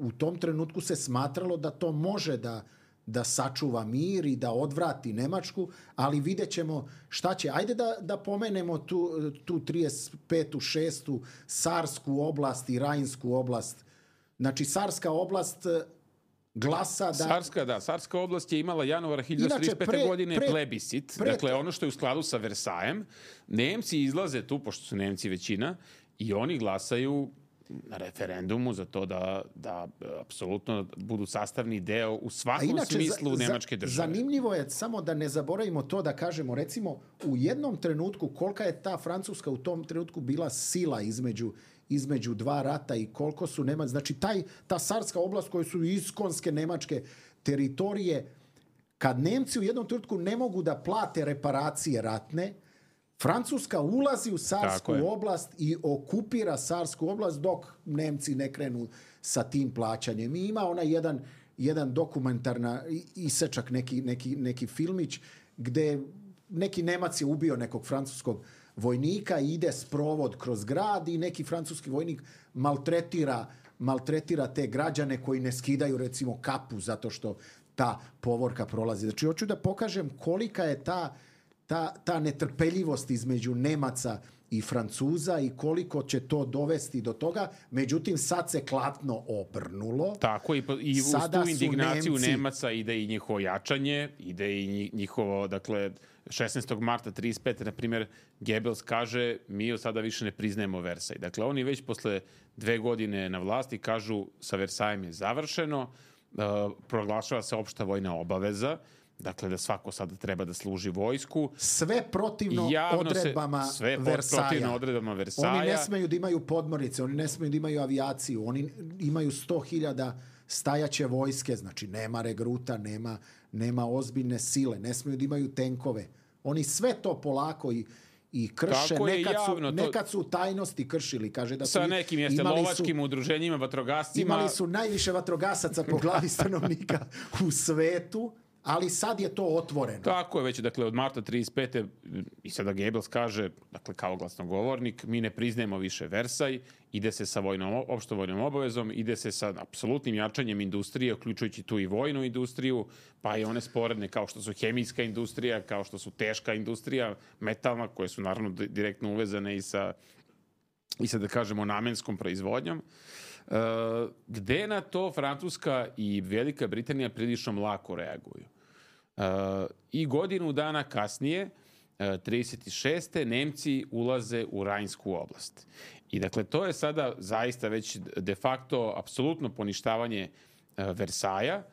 u tom trenutku se smatralo da to može da, da sačuva mir i da odvrati Nemačku, ali vidjet ćemo šta će. Ajde da, da pomenemo tu, tu trideset petu šestu Sarsku oblast i Rajnsku oblast. Znači, Sarska oblast glasa da... Sarska, da. Sarska oblast je imala januara hiljadu devetsto trideset pete. godine pre, plebiscit. Pre, dakle, ono što je u skladu sa Versajem. Nemci izlaze tu, pošto su Nemci većina, i oni glasaju na referendumu za to da, da apsolutno budu sastavni deo u svakom inače, smislu za, Nemačke države. Zanimljivo je samo da ne zaboravimo to da kažemo, recimo, u jednom trenutku kolika je ta Francuska u tom trenutku bila sila između, između dva rata i koliko su Nemac. Znači, taj, ta Sarska oblast koje su iskonske nemačke teritorije, kad Nemci u jednom trenutku ne mogu da plate reparacije ratne, Francuska ulazi u Sarsku oblast i okupira Sarsku oblast dok Nemci ne krenu sa tim plaćanjem. I ima ona jedan, jedan dokumentarna isečak, neki, neki, neki filmić gde neki Nemac je ubio nekog francuskog vojnika i ide sprovod kroz grad i neki francuski vojnik maltretira, maltretira te građane koji ne skidaju recimo kapu zato što ta povorka prolazi. Znači, hoću da pokažem kolika je ta Ta, ta netrpeljivost između Nemaca i Francuza i koliko će to dovesti do toga. Međutim, sad se klatno obrnulo. Tako, i, i uz tu indignaciju Nemci... Nemaca ide i njihovo jačanje, ide i njihovo, dakle, šesnaestog marta trideset pete. na primjer, Goebbels kaže, mi od sada više ne priznajemo Versaj. Dakle, oni već posle dve godine na vlasti kažu sa Versajem je završeno, uh, proglašava se opšta vojna obaveza, dakle da svako sada treba da služi vojsku. Sve protivno odredbama se, sve Versaja. protivno odredbama Versaja. Oni ne smeju da imaju podmornice, oni ne smeju da imaju avijaciju, oni imaju sto hiljada stajaće vojske, znači nema regruta, nema, nema ozbiljne sile, ne smeju da imaju tenkove. Oni sve to polako i i krše, nekad su, javno, nekad su u tajnosti kršili, kaže da su... Sa nekim jeste lovačkim su, udruženjima, vatrogascima... Imali su najviše vatrogasaca po glavi stanovnika u svetu, ali sad je to otvoreno. Tako je već, dakle, od marta trideset pete i sada Goebbels kaže, dakle, kao glasnogovornik, mi ne priznajemo više Versaj, ide se sa vojnom, opštom vojnom obavezom, ide se sa apsolutnim jačanjem industrije, uključujući tu i vojnu industriju, pa i one sporedne kao što su hemijska industrija, kao što su teška industrija, metalna, koje su naravno direktno uvezane i sa, i sa da kažemo, namenskom proizvodnjom. Uh, gde na to Francuska i Velika Britanija prilično lako reaguju. Uh, I godinu dana kasnije, uh, trideset šeste. Nemci ulaze u Rajnsku oblast. I dakle, to je sada zaista već de facto apsolutno poništavanje uh, Versaja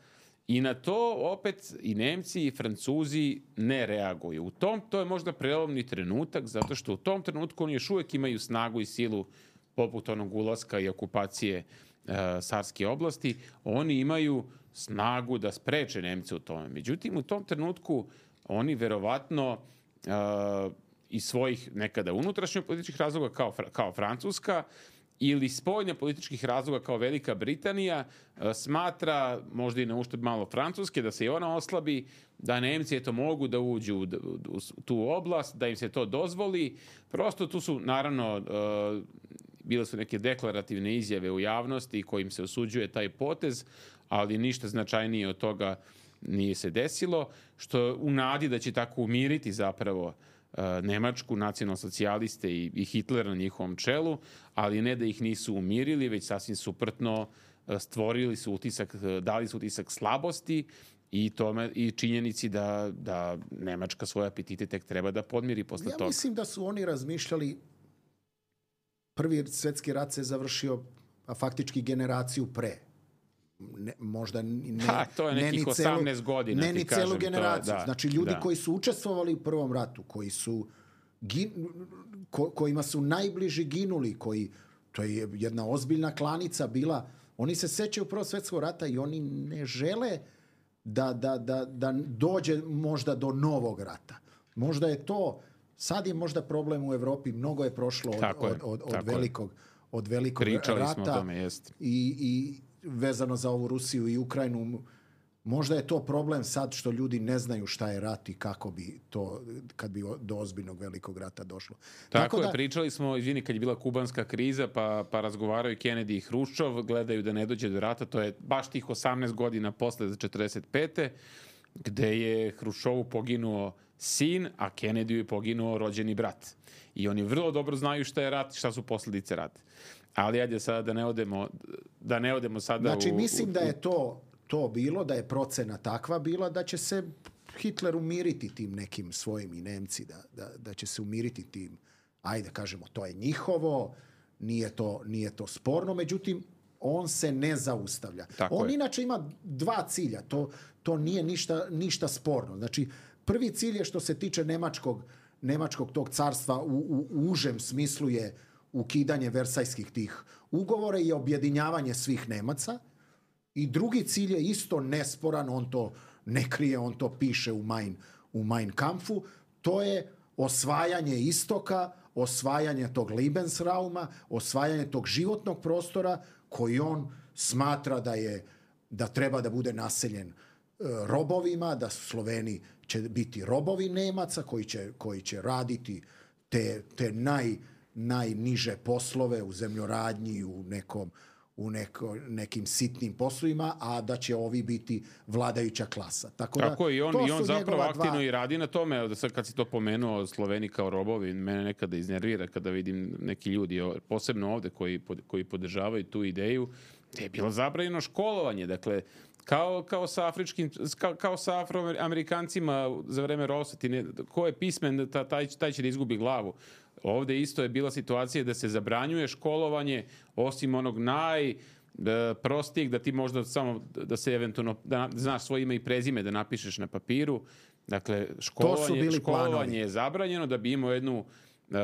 i na to opet i Nemci i Francuzi ne reaguju. U tom, to je možda prelomni trenutak, zato što u tom trenutku oni još uvek imaju snagu i silu poput onog ulaska i okupacije uh, Sarske oblasti, oni imaju snagu da spreče Nemce u tome. Međutim, u tom trenutku oni verovatno uh, iz svojih nekada unutrašnjih političkih razloga kao, kao Francuska ili spoljne političkih razloga kao Velika Britanija uh, smatra, možda i na uštrb malo Francuske, da se i ona oslabi, da Nemci eto mogu da uđu u, u, u tu oblast, da im se to dozvoli. Prosto tu su, naravno, uh, bile su neke deklarativne izjave u javnosti kojim se osuđuje taj potez, ali ništa značajnije od toga nije se desilo, što u nadi da će tako umiriti zapravo Nemačku, nacionalsocijaliste i, i Hitlera na njihovom čelu, ali ne da ih nisu umirili, već sasvim suprotno stvorili su utisak, dali su utisak slabosti i tome i činjenici da, da Nemačka svoje apetite tek treba da podmiri posle ja toga. Ja mislim da su oni razmišljali, prvi svjetski rat se završio, a faktički generaciju pre. Ne, možda ne, ha, to je nekih osamnaest godina, ne ni kažem, celu generaciju. To, da, znači ljudi da. koji su učestvovali u prvom ratu, koji su gin, ko, kojima su najbliži ginuli, koji, to je jedna ozbiljna klanica bila, oni se sećaju prvog svjetskog rata i oni ne žele da, da, da, da dođe možda do novog rata. Možda je to, sad je možda problem u Evropi, mnogo je prošlo od, tako od, je, od, od velikog, od velikog Pričali rata. smo o tome, jest. I, i vezano za ovu Rusiju i Ukrajinu, možda je to problem sad što ljudi ne znaju šta je rat i kako bi to, kad bi do ozbiljnog velikog rata došlo. Tako, Tako je, da, pričali smo, izvini, kad je bila kubanska kriza, pa, pa razgovaraju Kennedy i Hruščov, gledaju da ne dođe do rata, to je baš tih osamnaest godina posle za četrdeset pete gde je Hruščovu poginuo sin, a Kennedyju je poginuo rođeni brat. I oni vrlo dobro znaju šta je rat i šta su posljedice rata. Ali ajde sada da ne odemo, da ne odemo sada znači, u... Znači, mislim u, da je to, to bilo, da je procena takva bila, da će se Hitler umiriti tim nekim svojim i Nemci, da, da, da će se umiriti tim, ajde kažemo, to je njihovo, nije to, nije to sporno, međutim, on se ne zaustavlja. Tako on je. inače ima dva cilja, to, to nije ništa, ništa sporno. Znači, prvi cilj je što se tiče nemačkog, nemačkog tog carstva u, u, u užem smislu je ukidanje versajskih tih ugovora i objedinjavanje svih Nemaca. I drugi cilj je isto nesporan, on to ne krije, on to piše u Mein, u Mein Kampfu, to je osvajanje istoka, osvajanje tog Lebensrauma, osvajanje tog životnog prostora koji on smatra da je, da treba da bude naseljen e, robovima, da Sloveni će biti robovi Nemaca koji će, koji će raditi te, te naj, najniže poslove u zemljoradnji, u nekom u neko, nekim sitnim poslovima, a da će ovi biti vladajuća klasa. Tako, Tako da, i on, i on zapravo aktivno dva... i radi na tome. Sad kad si to pomenuo, Sloveni kao robovi, mene nekada iznervira kada vidim neki ljudi, posebno ovde, koji, koji podržavaju tu ideju, gde je bilo zabranjeno školovanje. Dakle, kao, kao sa afričkim, kao, kao sa afroamerikancima za vreme ropstva, ne, ko je pismen, taj, taj će da izgubi glavu. Ovde isto je bila situacija da se zabranjuje školovanje, osim onog najprostijeg, da ti možda samo, da se eventualno, da znaš svoje ime i prezime, da napišeš na papiru. Dakle, školovanje, školovanje je zabranjeno da bi imao jednu uh,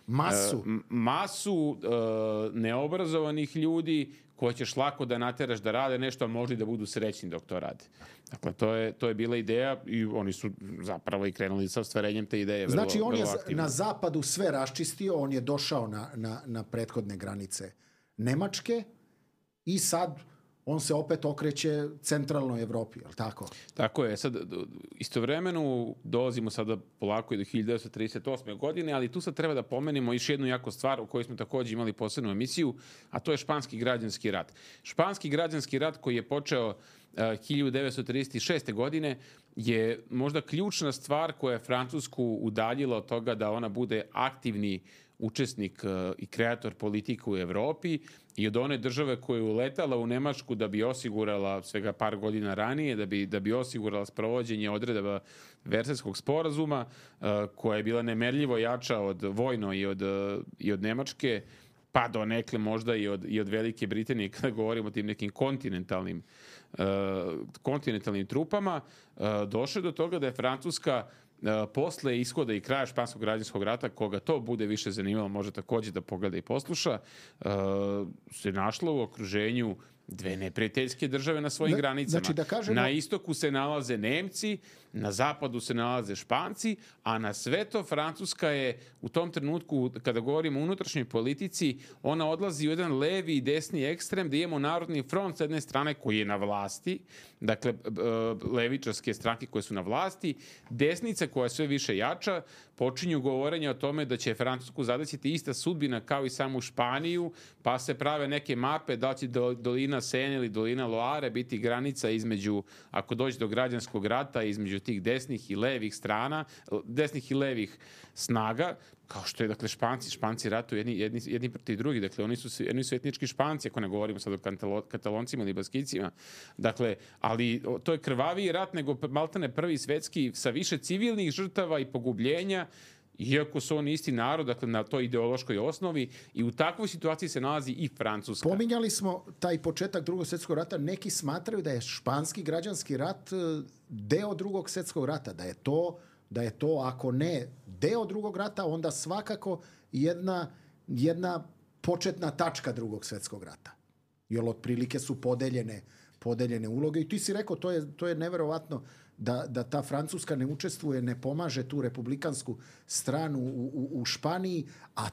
masu, uh, masu uh, neobrazovanih ljudi koje ćeš lako da nateraš da rade nešto, a možda i da budu srećni dok to rade. Dakle, to je, to je bila ideja i oni su zapravo i krenuli sa ostvarenjem te ideje. Vrlo, znači, on je aktivno. Na zapadu sve raščistio, on je došao na, na, na prethodne granice Nemačke i sad on se opet okreće centralnoj Evropi, je li tako? Tako je. Sad, istovremeno dolazimo sada polako i do hiljadu devetsto trideset osme. godine, ali tu sad treba da pomenemo još jednu jako stvar o kojoj smo također imali posebnu emisiju, a to je Španski građanski rat. Španski građanski rat koji je počeo uh, hiljadu devetsto trideset šeste. godine je možda ključna stvar koja je Francusku udaljila od toga da ona bude aktivni učesnik uh, i kreator politike u Evropi i od one države koja je uletala u Nemačku da bi osigurala svega par godina ranije, da bi, da bi osigurala sprovođenje odredaba Versajskog sporazuma, uh, koja je bila nemerljivo jača od vojno i od, uh, i od Nemačke, pa do nekle možda i od, i od Velike Britanije, kada govorimo o tim nekim kontinentalnim, uh, kontinentalnim trupama, uh, došlo do toga da je Francuska Uh, posle ishoda i kraja Španskog građanskog rata, koga to bude više zanimalo, može također da pogleda i posluša, uh, se našla u okruženju dve neprijateljske države na svojim Da- granicama. znači da kažemo- Na istoku se nalaze Nemci, na zapadu se nalaze Španci, a na sve to Francuska je u tom trenutku, kada govorimo o unutrašnjoj politici, ona odlazi u jedan levi i desni ekstrem, da imamo Narodni front s jedne strane koji je na vlasti, dakle b- b- levičarske stranke koje su na vlasti, desnica koja je sve više jača, počinju govorenje o tome da će Francusku zadesiti ista sudbina kao i samu Španiju, pa se prave neke mape da će do- dolina Sene ili dolina Loare biti granica između, ako dođe do građanskog rata, između tih desnih i levih strana, desnih i levih snaga, kao što je, dakle, Španci, Španci ratuju jedni, jedni, jedni protiv drugih, dakle, oni su, svi- oni su etnički Španci, ako ne govorimo sad o Kantalo- Kataloncima ili Baskicima, dakle, ali o, to je krvaviji rat nego maltene prvi svetski sa više civilnih žrtava i pogubljenja, iako su oni isti narod, dakle, na toj ideološkoj osnovi, i u takvoj situaciji se nalazi i Francuska. Pominjali smo taj početak drugog svjetskog rata. Neki smatraju da je španski građanski rat e, deo drugog svjetskog rata, da je to, da je to ako ne deo drugog rata, onda svakako jedna, jedna početna tačka drugog svjetskog rata. Jer otprilike su podeljene, podeljene uloge. I ti si rekao, to je, to je neverovatno da, da ta Francuska ne učestvuje, ne pomaže tu republikansku stranu u, u, u Španiji, a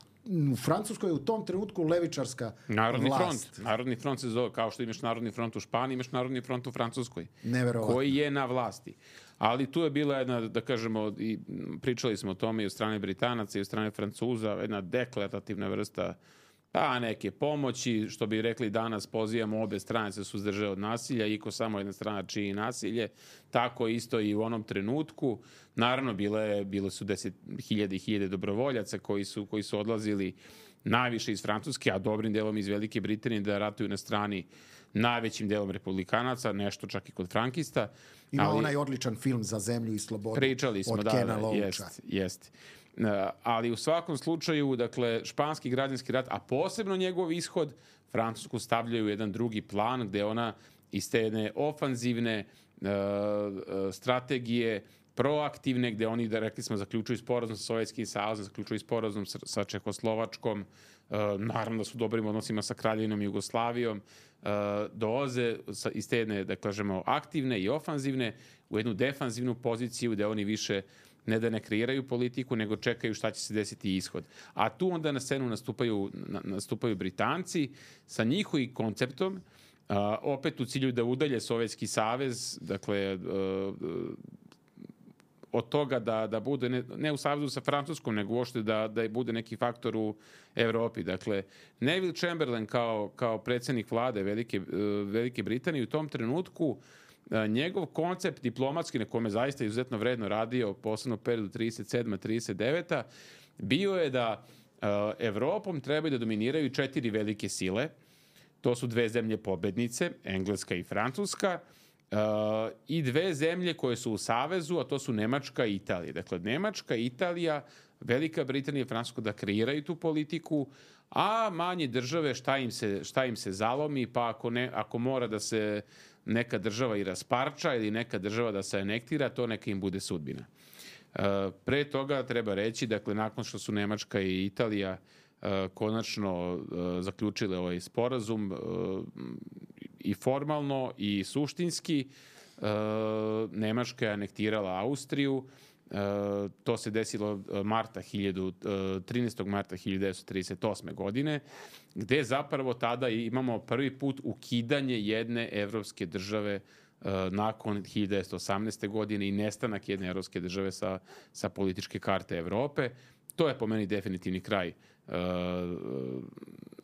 u Francuskoj je u tom trenutku levičarska Narodni vlast. front. Narodni front se zove, kao što imaš Narodni front u Španiji, imaš Narodni front u Francuskoj. Neverovatno. Koji je na vlasti. Ali tu je bila jedna, da kažemo, i pričali smo o tome i od strane Britanaca i od strane Francuza, jedna deklarativna vrsta pa neke pomoći, što bi rekli danas, pozivamo obe strane se suzdrže od nasilja, iko samo jedna strana čini nasilje, tako isto i u onom trenutku. Naravno, bile, bile su deset hiljada i hiljade dobrovoljaca koji su, koji su odlazili najviše iz Francuske, a dobrim delom iz Velike Britanije da ratuju na strani najvećim delom republikanaca, nešto čak i kod frankista. Ima ali, onaj odličan film Za zemlju i slobodu pričali smo, od da, Kena da, Loacha. jest, jest. Uh, ali u svakom slučaju, dakle, španski građanski rat, a posebno njegov ishod, Francusku stavljaju u jedan drugi plan gde ona iz te jedne ofanzivne uh, uh, strategije, proaktivne, gde oni, da rekli smo, zaključuju sporazum sa Sovjetskim savezom, zaključuju sporazum sa, sa Čehoslovačkom, uh, naravno da su u dobrim odnosima sa Kraljevinom Jugoslavijom, uh, dolaze sa, iz te jedne, da kažemo, aktivne i ofanzivne u jednu defanzivnu poziciju gde oni više ne da ne kreiraju politiku, nego čekaju šta će se desiti ishod. A tu onda na scenu nastupaju, na, nastupaju Britanci sa njihovim konceptom, uh, opet u cilju da udalje Sovjetski savez, dakle, uh, od toga da, da bude, ne, ne u savezu sa Francuskom, nego uopšte da, da bude neki faktor u Evropi. Dakle, Neville Chamberlain kao, kao predsjednik vlade Velike, Velike Britanije u tom trenutku njegov koncept diplomatski, na kome zaista izuzetno vredno radio, posebno u periodu trideset sedma trideset deveta bio je da uh, Evropom trebaju da dominiraju četiri velike sile. To su dve zemlje pobednice, Engleska i Francuska, uh, i dve zemlje koje su u savezu, a to su Nemačka i Italija. Dakle, Nemačka, Italija, Velika Britanija i Francuska da kreiraju tu politiku, a manje države šta im se, šta im se zalomi, pa ako, ne, ako mora da se neka država i rasparča ili neka država da se anektira, to neka im bude sudbina. Uh, pre toga treba reći, dakle, nakon što su Nemačka i Italija uh, konačno uh, zaključile ovaj sporazum uh, i formalno i suštinski, uh, Nemačka je anektirala Austriju. Uh, to se desilo marta trinaestog marta hiljadu devetsto trideset osme godine, gde zapravo tada imamo prvi put ukidanje jedne evropske države uh, nakon hiljadu devetsto osamnaeste godine i nestanak jedne evropske države sa, sa političke karte Evrope. To je po meni definitivni kraj uh,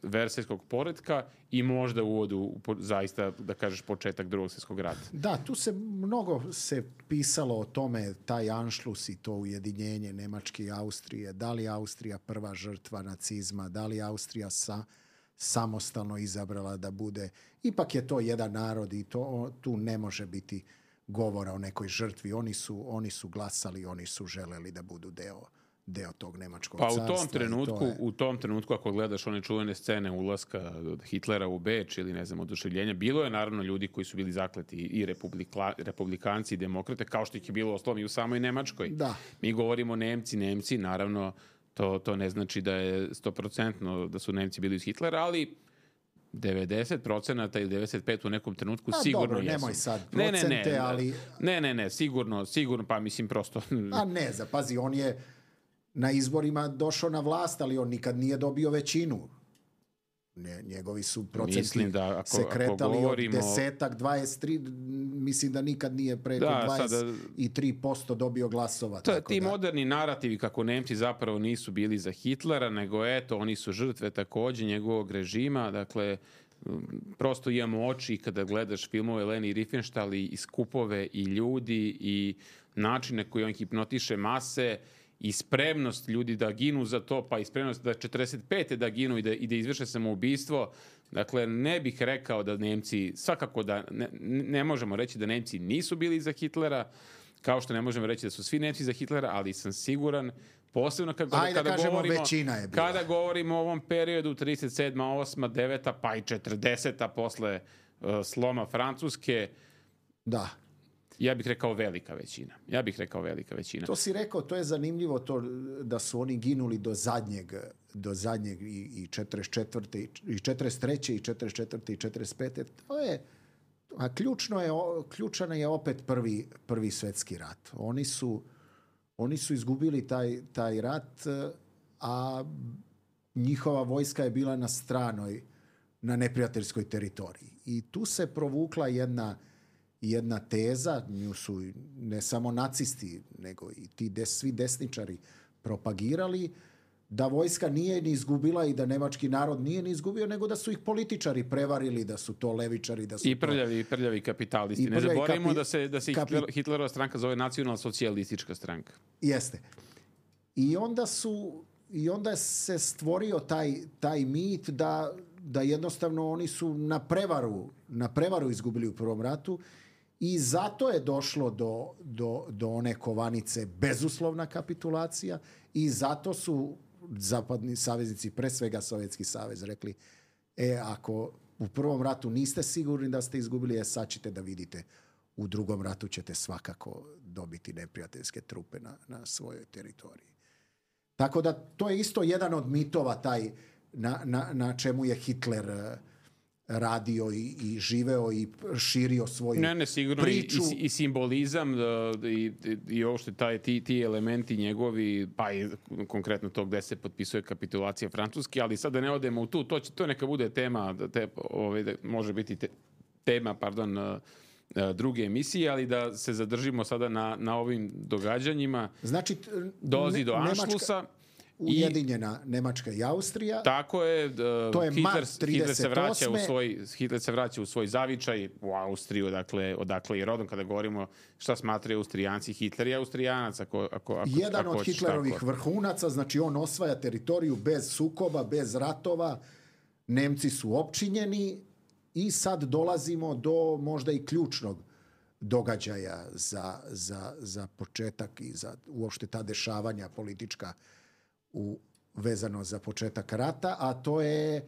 versajskog poretka i možda u uvodu zaista, da kažeš, početak drugog svjetskog rata. Da, tu se mnogo se pisalo o tome, taj anšlus i to ujedinjenje Nemačke i Austrije, da li je Austrija prva žrtva nacizma, da li je Austrija sa, samostalno izabrala da bude. Ipak je to jedan narod i to, tu ne može biti govora o nekoj žrtvi. Oni su, oni su glasali, oni su želeli da budu deo deo tog nemačkog pa carstva. U tom trenutku, to je... u tom trenutku ako gledaš one čuvene scene ulaska Hitlera u Beč ili ne znam oduševljenja, bilo je naravno ljudi koji su bili zakleti i republika, republikanci i demokrate, kao što ih je bilo ostalom i u samoj Nemačkoj. Da. Mi govorimo Nemci, Nemci, naravno to, to ne znači da je sto procentno da su Nemci bili uz Hitlera, ali devedeset procenata ili devedeset pet u nekom trenutku A, sigurno dobro, jesu. nemoj sad ne, procente, ne, ne, ali... Ne, ne, ne, sigurno, sigurno, pa mislim prosto... A ne, zapazi, on je na izborima došao na vlast, ali on nikad nije dobio većinu. Ne, njegovi su procenti da ako, se kretali ako govorimo... od desetak, dvadeset tri, mislim da nikad nije preko da, dvadeset tri posto sada... dobio glasova. To, tako ti da... moderni narativi kako Nemci zapravo nisu bili za Hitlera, nego eto, oni su žrtve takođe njegovog režima, dakle, prosto imamo oči kada gledaš filmove Leni Riefenstahl i skupove i ljudi i načine koji on hipnotiše mase i spremnost ljudi da ginu za to, pa i spremnost da četrdeset pete da ginu i da, i da izvrše samoubistvo. Dakle, ne bih rekao da Nemci, svakako da ne, ne možemo reći da Nemci nisu bili za Hitlera, kao što ne možemo reći da su svi Nemci za Hitlera, ali sam siguran, posebno kada, Ajde, kada, kažemo, govorimo, većina je bila. kada govorimo o ovom periodu trideset sedma, osma, deveta pa i četrdeseta posle uh, sloma Francuske, da. Ja bih rekao velika većina. Ja bih rekao velika većina. To si rekao, to je zanimljivo to da su oni ginuli do zadnjeg, do zadnjeg i, i četrdeset četvrte i četrdeset treće i četrdeset četvrte i četrdeset pete To je, a ključno je, ključan je opet prvi, prvi svetski rat. Oni su, oni su izgubili taj, taj rat, a njihova vojska je bila na stranoj, na neprijateljskoj teritoriji. I tu se provukla jedna jedna teza, nju su ne samo nacisti, nego i ti des, svi desničari propagirali, da vojska nije ni izgubila i da nemački narod nije ni izgubio, nego da su ih političari prevarili, da su to levičari, da su I prljavi, to... prljavi kapitalisti. I ne prljavi zaboravimo kapi... da se, da se kapi... Hitlerova stranka zove nacionalna socijalistička stranka. Jeste. I onda su i onda se stvorio taj, taj mit da, da jednostavno oni su na prevaru, na prevaru izgubili u prvom ratu. I zato je došlo do, do, do one kovanice bezuslovna kapitulacija i zato su zapadni saveznici, pre svega Sovjetski savez, rekli e, ako u prvom ratu niste sigurni da ste izgubili, e, sad ćete da vidite, u drugom ratu ćete svakako dobiti neprijateljske trupe na, na svojoj teritoriji. Tako da to je isto jedan od mitova taj na, na, na čemu je Hitler radio i, i živeo i širio svoju ne, ne, sigurno priču. I, i, i simbolizam da, i, i ovo što taj, ti, ti elementi njegovi, pa i konkretno to gde se potpisuje kapitulacija Francuske, ali sad da ne odemo u tu, to, će, to neka bude tema, te, ove, može biti te, tema, pardon, druge emisije, ali da se zadržimo sada na, na ovim događanjima. Znači, dolazi do Anšlusa. Nemačka... Ujedinjena Nemačka i Austrija. Tako je. Uh, to je Hitler, mart trideset osme. Hitler se vraća u svoj Hitler se vraća u svoj zavičaj u Austriju, dakle odakle i rodom kada govorimo šta smatraju Austrijanci. Hitler je Austrijanac ako ako ako jedan ako od Hitlerovih tako. vrhunaca, znači on osvaja teritoriju bez sukoba, bez ratova. Nemci su opčinjeni i sad dolazimo do možda i ključnog događaja za, za, za početak i za uopšte ta dešavanja politička u, vezano za početak rata, a to je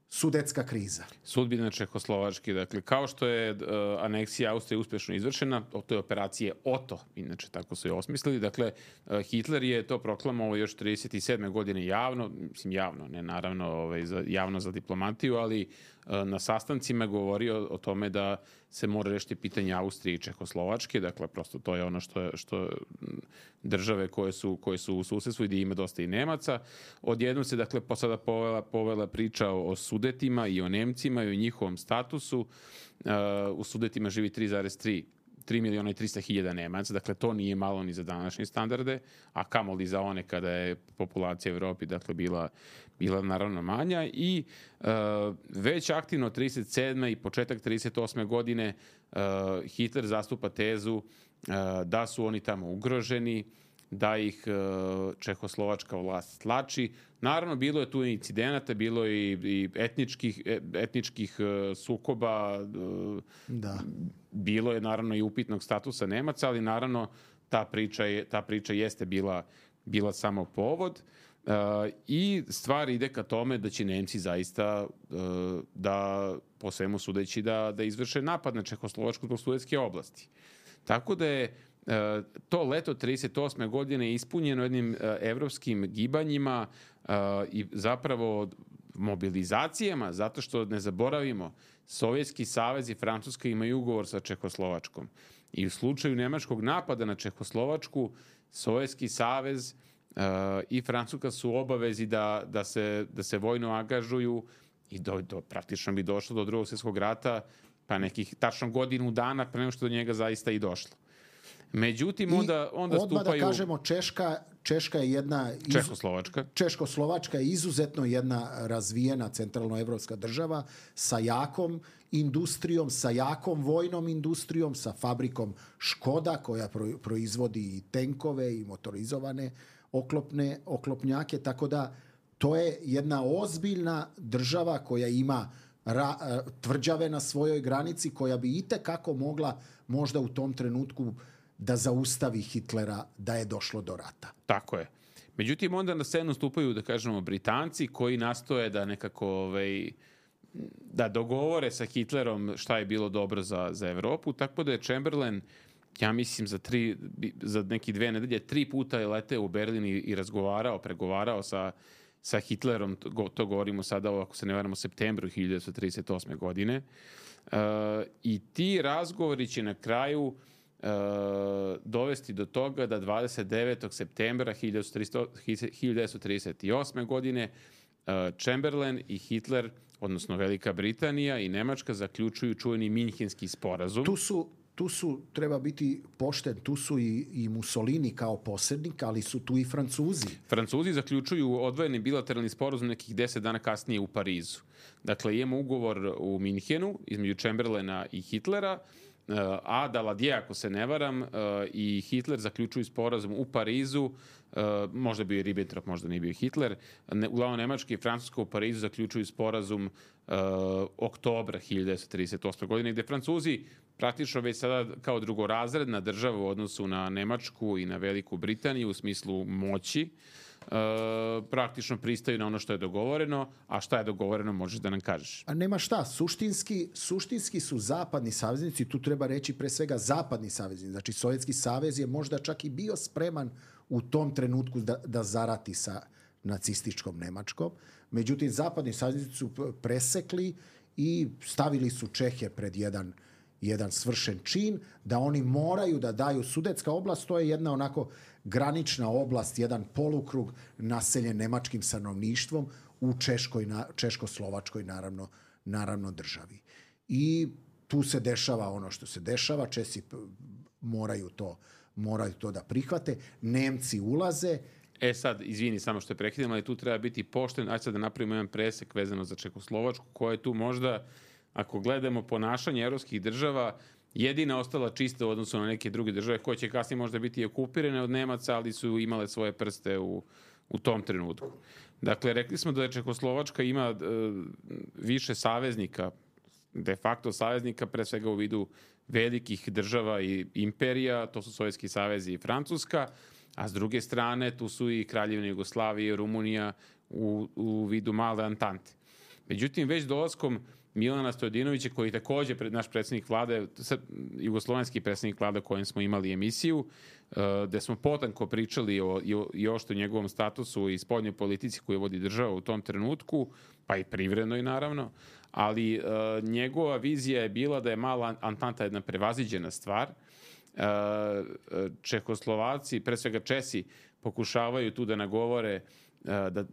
Sudetska kriza. Sudbina Čehoslovačke, dakle, kao što je uh, aneksija Austrije uspješno izvršena, to je operacije Oto, inače tako su je osmislili, dakle, uh, Hitler je to proklamovao još trideset sedme godine javno, mislim javno, ne naravno ovaj, za, javno za diplomatiju, ali uh, na sastancima govorio o tome da se mora rešiti pitanje Austrije i Čehoslovačke, dakle, prosto to je ono što, što države koje su, koje su u susedstvu i gdje ima dosta i Nemaca. Odjednom se, dakle, po sada povela, povela priča o Sudetima i o Nemcima i o njihovom statusu. Uh, u Sudetima živi tri zarez tri miliona i trista hiljada Nemaca, dakle to nije malo ni za današnje standarde, a kamoli za one kada je populacija u Evropi dakle bila, bila naravno manja i uh, već aktivno trideset sedme i početak trideset osme godine uh, Hitler zastupa tezu uh, da su oni tamo ugroženi, da ih uh, čehoslovačka vlast tlači. Naravno, bilo je tu incidenata, bilo je i, i etničkih, etničkih uh, sukoba, uh, da. Bilo je naravno i upitnog statusa Nemaca, ali naravno ta priča, je, ta priča jeste bila, bila samo povod uh, i stvar ide ka tome da će Nemci zaista uh, da, po svemu sudeći, da, da izvrše napad na Čehoslovačku zbog Sudetske oblasti. Tako da je Uh, to leto trideset osme godine ispunjeno jednim uh, evropskim gibanjima uh, i zapravo mobilizacijama, zato što ne zaboravimo, Sovjetski savez i Francuska imaju ugovor sa Čehoslovačkom. I u slučaju nemačkog napada na Čehoslovačku, Sovjetski savez uh, i Francuska su obavezi da, da, se, da se vojno angažuju i do, do, praktično bi došlo do drugog svjetskog rata pa nekih tačno godinu dana pre nego što do njega zaista i došlo. Međutim, onda, onda odmah stupaju... da kažemo, Češka, Češka je jedna... Iz... Čehoslovačka. Češkoslovačka je izuzetno jedna razvijena centralnoevropska država sa jakom industrijom, sa jakom vojnom industrijom, sa fabrikom Škoda koja proizvodi i tenkove i motorizovane oklopne, oklopnjake, tako da to je jedna ozbiljna država koja ima ra, tvrđave na svojoj granici, koja bi itekako mogla možda u tom trenutku da zaustavi Hitlera da je došlo do rata. Tako je. Međutim, onda na scenu stupaju, da kažemo, Britanci koji nastoje da nekako ovaj, da dogovore sa Hitlerom šta je bilo dobro za, za Evropu, tako da je Chamberlain, ja mislim, za, tri, za neki dve nedelje, tri puta je leteo u Berlin i, i razgovarao, pregovarao sa, sa Hitlerom, to, to govorimo sada, ako se ne varamo, u septembru hiljadu devetsto trideset osme. godine. Uh, I ti razgovori će na kraju Uh, dovesti do toga da dvadeset devetog septembra hiljadu devetsto trideset osme. godine uh, Chamberlain i Hitler, odnosno Velika Britanija i Nemačka, zaključuju čuveni Minhenski sporazum. Tu su, tu su, treba biti pošten, tu su i, i Mussolini kao posrednik, ali su tu i Francuzi. Francuzi zaključuju odvojeni bilateralni sporazum nekih deset dana kasnije u Parizu. Dakle, imamo ugovor u Minhenu između Chamberlaina i Hitlera, a Daladier, ako se ne varam, i Hitler zaključuju sporazum u Parizu, možda bio i Ribbentrop, možda nije bio Hitler, uglavnom Nemačka i Francuska u Parizu zaključuju sporazum oktobra hiljadu devetsto trideset osme. godine, gde Francuzi praktično već sada kao drugorazredna država u odnosu na Nemačku i na Veliku Britaniju u smislu moći, Uh, praktično pristaju na ono što je dogovoreno, a šta je dogovoreno možeš da nam kažeš. A nema šta, suštinski, suštinski su zapadni saveznici, tu treba reći pre svega zapadni saveznici, znači Sovjetski savez je možda čak i bio spreman u tom trenutku da, da zarati sa nacističkom Nemačkom, međutim zapadni saveznici su presekli i stavili su Čehe pred jedan jedan svršen čin, da oni moraju da daju. Sudetska oblast, to je jedna onako granična oblast, jedan polukrug naseljen nemačkim stanovništvom u Češkoj, Češko-Slovačkoj naravno, naravno državi. I tu se dešava ono što se dešava, Česi moraju to, moraju to da prihvate, Nemci ulaze. E sad, izvini samo što je prekidam, ali tu treba biti pošten, ajde sad da napravimo jedan presek vezano za Čekoslovačku, koja je tu možda, ako gledamo ponašanje evropskih država, jedina ostala čista u odnosu na neke druge države koje će kasnije možda biti okupirane od Nemaca, ali su imale svoje prste u, u tom trenutku. Dakle, rekli smo da je Čekoslovačka ima e, više saveznika, de facto saveznika, pre svega u vidu velikih država i imperija, to su Sovjetski savez i Francuska, a s druge strane tu su i Kraljevina Jugoslavija i Rumunija u, u vidu male Antante. Međutim, već dolaskom Milana Stojadinovića, koji je takođe pred naš predsjednik vlade, jugoslovenski predsjednik vlade o kojem smo imali emisiju, gde smo potanko pričali o, i ošto njegovom statusu i spoljnoj politici koju vodi država u tom trenutku, pa i privrednoj naravno, ali uh, njegova vizija je bila da je mala Antanta jedna prevaziđena stvar. Uh, Čehoslovaci, pre svega Česi, pokušavaju tu da nagovore da,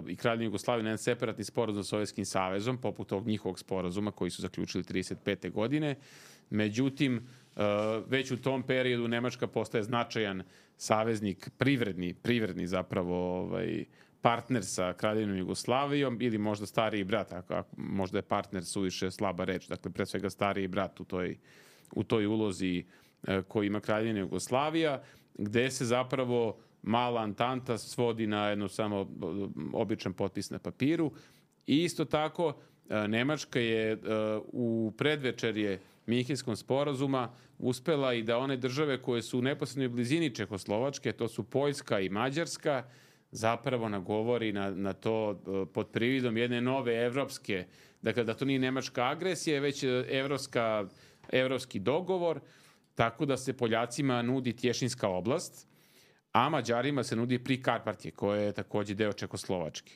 i Kraljevina Jugoslavija na jedan separatni sporazum sa Sovjetskim savezom, poput ovog njihovog sporazuma koji su zaključili trideset pete. godine. Međutim, već u tom periodu Nemačka postaje značajan saveznik, privredni, privredni zapravo ovaj, partner sa Kraljevinom Jugoslavijom ili možda stariji brat, ako, možda je partner suviše slaba reč, dakle pre svega stariji brat u toj, u toj ulozi koji ima Kraljevina Jugoslavija, gde se zapravo mala Antanta svodi na jedno samo običan potpis na papiru. I isto tako, Nemačka je u predvečerje Minhenskog sporazuma uspela i da one države koje su u neposrednoj blizini Čehoslovačke, to su Poljska i Mađarska, zapravo nagovori na, na to pod prividom jedne nove evropske, dakle da to nije nemačka agresija, već evropska, evropski dogovor, tako da se Poljacima nudi Tješinska oblast, a Mađarima se nudi Prikarpatje, koje je takođe deo Čekoslovačke.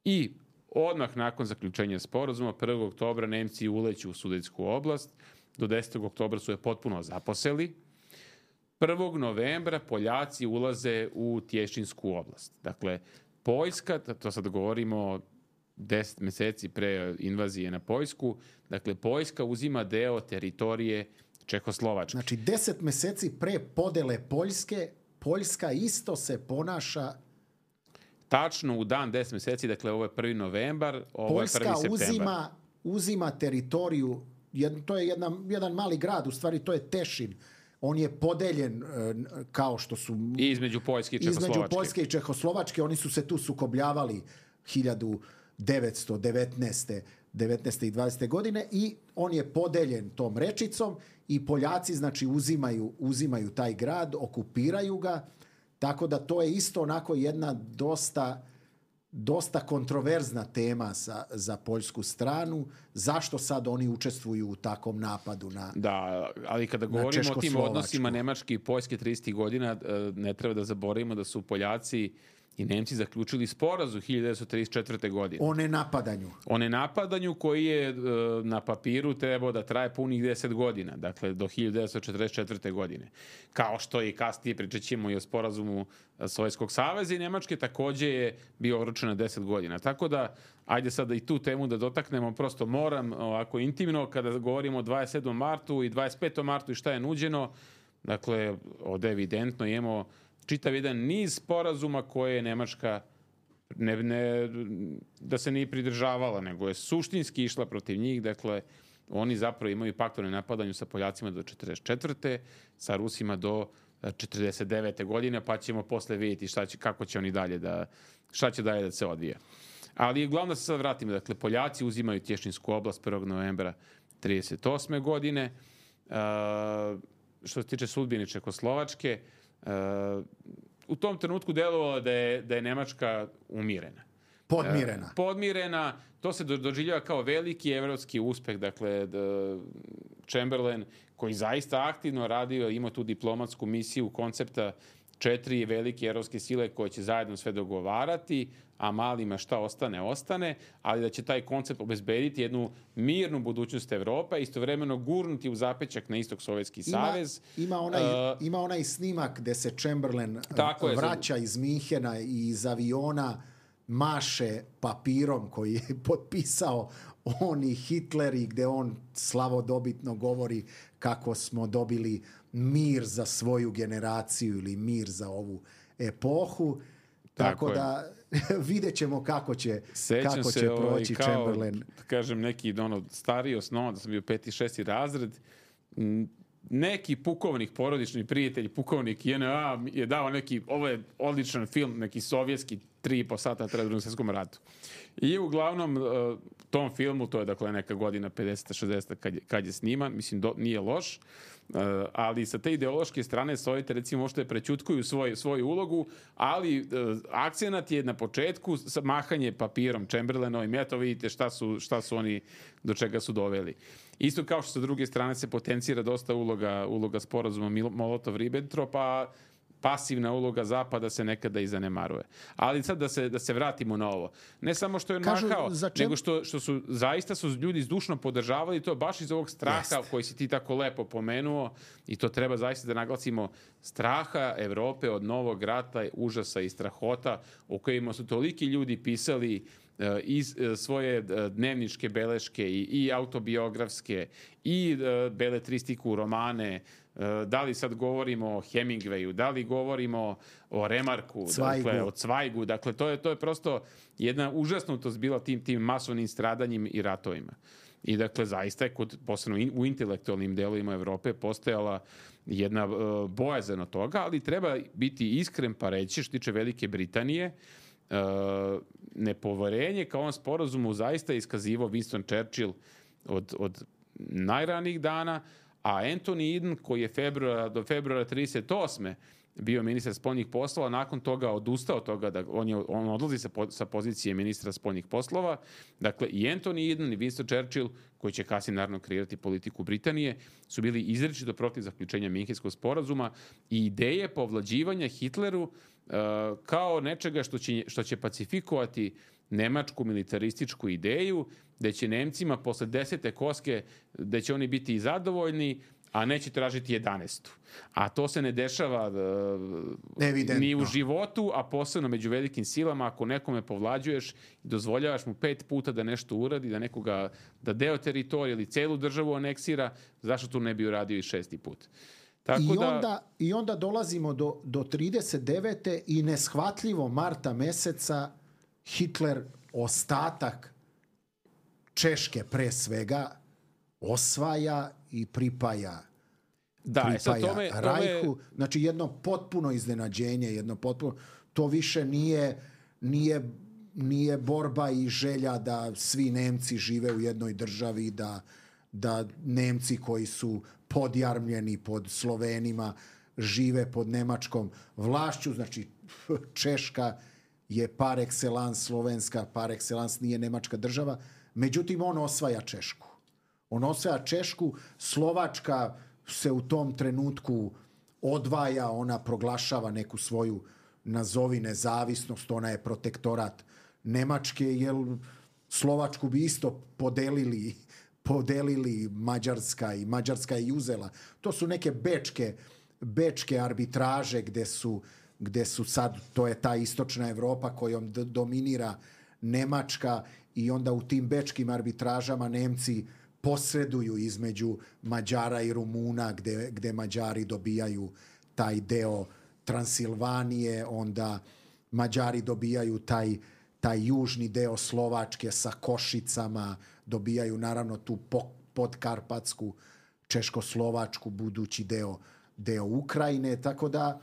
I Odmah nakon zaključenja sporazuma, prvog oktobra Nemci uleću u Sudetsku oblast, do desetog oktobra su je potpuno zaposeli. prvog novembra Poljaci ulaze u Tješinsku oblast. Dakle, Poljska, to sad govorimo deset meseci pre invazije na Poljsku, dakle, Poljska uzima deo teritorije Čehoslovačke. Znači, deset meseci pre podele Poljske, Poljska isto se ponaša... Tačno u dan deset meseci, dakle, ovo je prvi novembar, ovo je prvi septembar. Poljska uzima, uzima teritoriju, jed, to je jedna, jedan mali grad, u stvari to je Tešin. On je podeljen kao što su... I između Poljske i Čehoslovačke. Između Poljske i Čehoslovačke, oni su se tu sukobljavali hiljadu devetsto devetnaeste. devetnaeste i dvadesete godine i on je podeljen tom rečicom i Poljaci znači uzimaju, uzimaju taj grad, okupiraju ga, tako da to je isto onako jedna dosta, dosta kontroverzna tema za, za poljsku stranu. Zašto sad oni učestvuju u takvom napadu na Da, ali kada govorimo o tim odnosima Nemačke i Poljske tridesetih godina, ne treba da zaboravimo da su Poljaci i Nemci zaključili sporazum hiljadu devetsto trideset četvrte. godine. O nenapadanju. O nenapadanju koji je e, na papiru trebao da traje punih deset godina, dakle do hiljadu devetsto četrdeset četvrte. godine. Kao što i kasnije pričat ćemo i o sporazumu Sovjetskog saveza i Nemačke, takođe je bio oročen na deset godina. Tako da, ajde sad da i tu temu da dotaknemo, prosto moram ovako intimno, kada govorimo o dvadeset sedmom martu i dvadeset petom martu i šta je nuđeno, dakle, ovde evidentno imamo čitav jedan niz sporazuma koje je Nemačka ne, ne, da se nije pridržavala, nego je suštinski išla protiv njih. Dakle, oni zapravo imaju pakt o nenapadanju sa Poljacima do četrdeset četvrte. sa Rusima do četrdeset devete. godine, pa ćemo posle vidjeti šta će, kako će oni dalje da, šta će dalje da se odvija. Ali glavno da se sad vratimo. Dakle, Poljaci uzimaju Tješinsku oblast prvog novembra trideset osme. godine. Uh, što se tiče sudbine Čehoslovačke, Uh, u tom trenutku delovalo da je, da je Nemačka umirena. Podmirena. Uh, podmirena, to se do, doživljava kao veliki evropski uspeh, dakle da Chamberlain, koji zaista aktivno radio, ima tu diplomatsku misiju koncepta četiri velike evropske sile koje će zajedno sve dogovarati, a malima šta ostane, ostane, ali da će taj koncept obezbediti jednu mirnu budućnost Evrope, istovremeno gurnuti u zapećak na istok Sovjetski savez. Ima onaj, uh, ima onaj snimak gde se Chamberlain vraća je, iz Minhena i iz aviona maše papirom koji je potpisao on i Hitler i gde on slavodobitno govori kako smo dobili mir za svoju generaciju ili mir za ovu epohu. Tako, Tako da vidjet ćemo kako će, kako se, će proći ovaj, kao, Chamberlain. Kažem, neki ono, stariji osnova, da sam bio peti, šesti razred, neki pukovnik, porodični prijatelj, pukovnik J N A je dao neki, ovo je odličan film, neki sovjetski, tri i po sata treba drugom svjetskom ratu. I uglavnom tom filmu, to je dakle neka godina pedeseta šezdeseta kad je, kad je sniman, mislim do, nije loš, uh, ali sa te ideološke strane Sovjeti recimo možete prećutkuju svoj, svoju ulogu, ali uh, akcenat je na početku mahanje papirom Chamberlainovim, ja to vidite šta su, šta su oni, do čega su doveli. Isto kao što sa druge strane se potencira dosta uloga, uloga sporazuma Molotov-Ribbentrop, pa pasivna uloga Zapada se nekada i zanemaruje. Ali sad da se, da se vratimo na ovo. Ne samo što je mahao, nego što, što su zaista su ljudi zdušno podržavali to baš iz ovog straha Jest. koji si ti tako lepo pomenuo i to treba zaista da naglasimo, straha Evrope od novog rata, užasa i strahota o kojima su toliki ljudi pisali iz svoje dnevničke beleške i, i autobiografske i beletristiku, romane. Da li sad govorimo o Hemingwayu, da li govorimo o Remarku, Cvajgu. dakle, o Cvajgu, dakle to je, to je prosto jedna užasnutost bila tim, tim masovnim stradanjima i ratovima. I dakle zaista je kod, posebno u intelektualnim delovima Evrope postojala jedna uh, bojazan od toga, ali treba biti iskren pa reći što tiče Velike Britanije, uh, nepoverenje kao on sporazumu zaista iskazivao Winston Churchill od, od najranijih dana, a Anthony Eden, koji je februara, do februara trideset osme bio ministar spoljnih poslova, nakon toga odustao od toga, da on, je, on odlazi sa, po, sa pozicije ministra spoljnih poslova. Dakle, i Anthony Eden i Winston Churchill, koji će kasnije naravno kreirati politiku Britanije, su bili izričito protiv zaključenja Minhenskog sporazuma i ideje povlađivanja Hitleru uh, kao nečega što će, što će pacifikovati nemačku militarističku ideju, da će Nemcima posle desete koske, da će oni biti zadovoljni, a neće tražiti jedanaestu. A to se ne dešava uh, ni u životu, a posebno među velikim silama. Ako nekome povlađuješ i dozvoljavaš mu pet puta da nešto uradi, da nekoga, da deo teritorije ili celu državu aneksira, zašto tu ne bi uradio i šesti put? Tako I, onda, da, I onda dolazimo do, do trideset devete i neshvatljivo marta meseca Hitler ostatak Češke pre svega osvaja i pripaja, da, pripaja sad tome, Rajhu. tome... Znači jedno potpuno iznenađenje, jedno potpuno, to više nije, nije, nije borba i želja da svi Nemci žive u jednoj državi, da, da Nemci koji su podjarmljeni pod Slovenima žive pod nemačkom vlašću. Znači Češka je par excellence slovenska, par excellence nije nemačka država. Međutim, on osvaja Češku. On osvaja Češku, Slovačka se u tom trenutku odvaja, ona proglašava neku svoju, nazovi, nezavisnost, ona je protektorat Nemačke, jer Slovačku bi isto podelili, podelili Mađarska i Mađarska je uzela. To su neke bečke, bečke arbitraže gde su, gde su sad, to je ta istočna Evropa kojom d- dominira Nemačka i onda u tim bečkim arbitražama Nemci posreduju između Mađara i Rumuna gde, gde Mađari dobijaju taj deo Transilvanije, onda Mađari dobijaju taj, taj južni deo Slovačke sa Košicama, dobijaju naravno tu po, podkarpatsku Češko-Slovačku budući deo, deo Ukrajine, tako da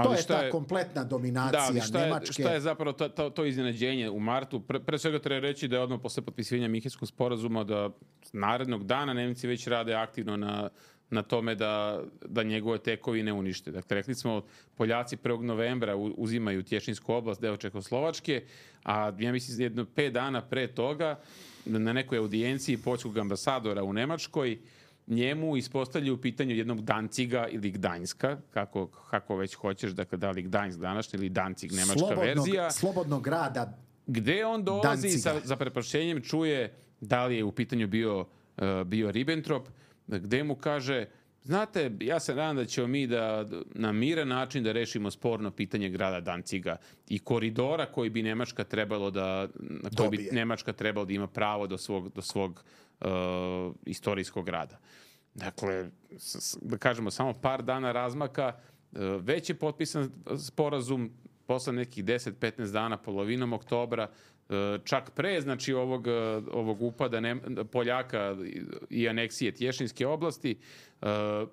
to je ta je, kompletna dominacija da, šta Nemačke. Je, šta je zapravo to, to, to iznenađenje u martu? Pre, pre svega treba reći da je odmah posle potpisivanja Minhenskog sporazuma da narednog dana Nemci već rade aktivno na, na tome da, da njegove tekovine unište. Dakle, rekli smo, Poljaci prvog novembra uzimaju Tješinsku oblast, deo Čekoslovačke, a ja mislim jedno pet dana pre toga na nekoj audijenciji poljskog ambasadora u Nemačkoj njemu ispostavljaju pitanje jednog Danciga ili Gdańska, kako, kako već hoćeš, dakle da li Gdańsk današnji ili Dancig, nemačka slobodnog, verzija. Slobodnog grada gde on dolazi sa, za prepašćenjem, čuje da li je u pitanju bio, uh, bio Ribbentrop, gde mu kaže, znate, ja se nadam da ćemo mi da na miran način da rešimo sporno pitanje grada Danciga i koridora koji bi Nemačka trebalo da, na koji bi Nemačka trebalo da ima pravo do svog, do svog uh, istorijskog grada. Dakle, s, da kažemo, samo par dana razmaka, uh, već je potpisan sporazum posle nekih deset do petnaest dana, polovinom oktobra, čak pre, znači, ovog, ovog upada Nem, Poljaka i aneksije Tješinske oblasti,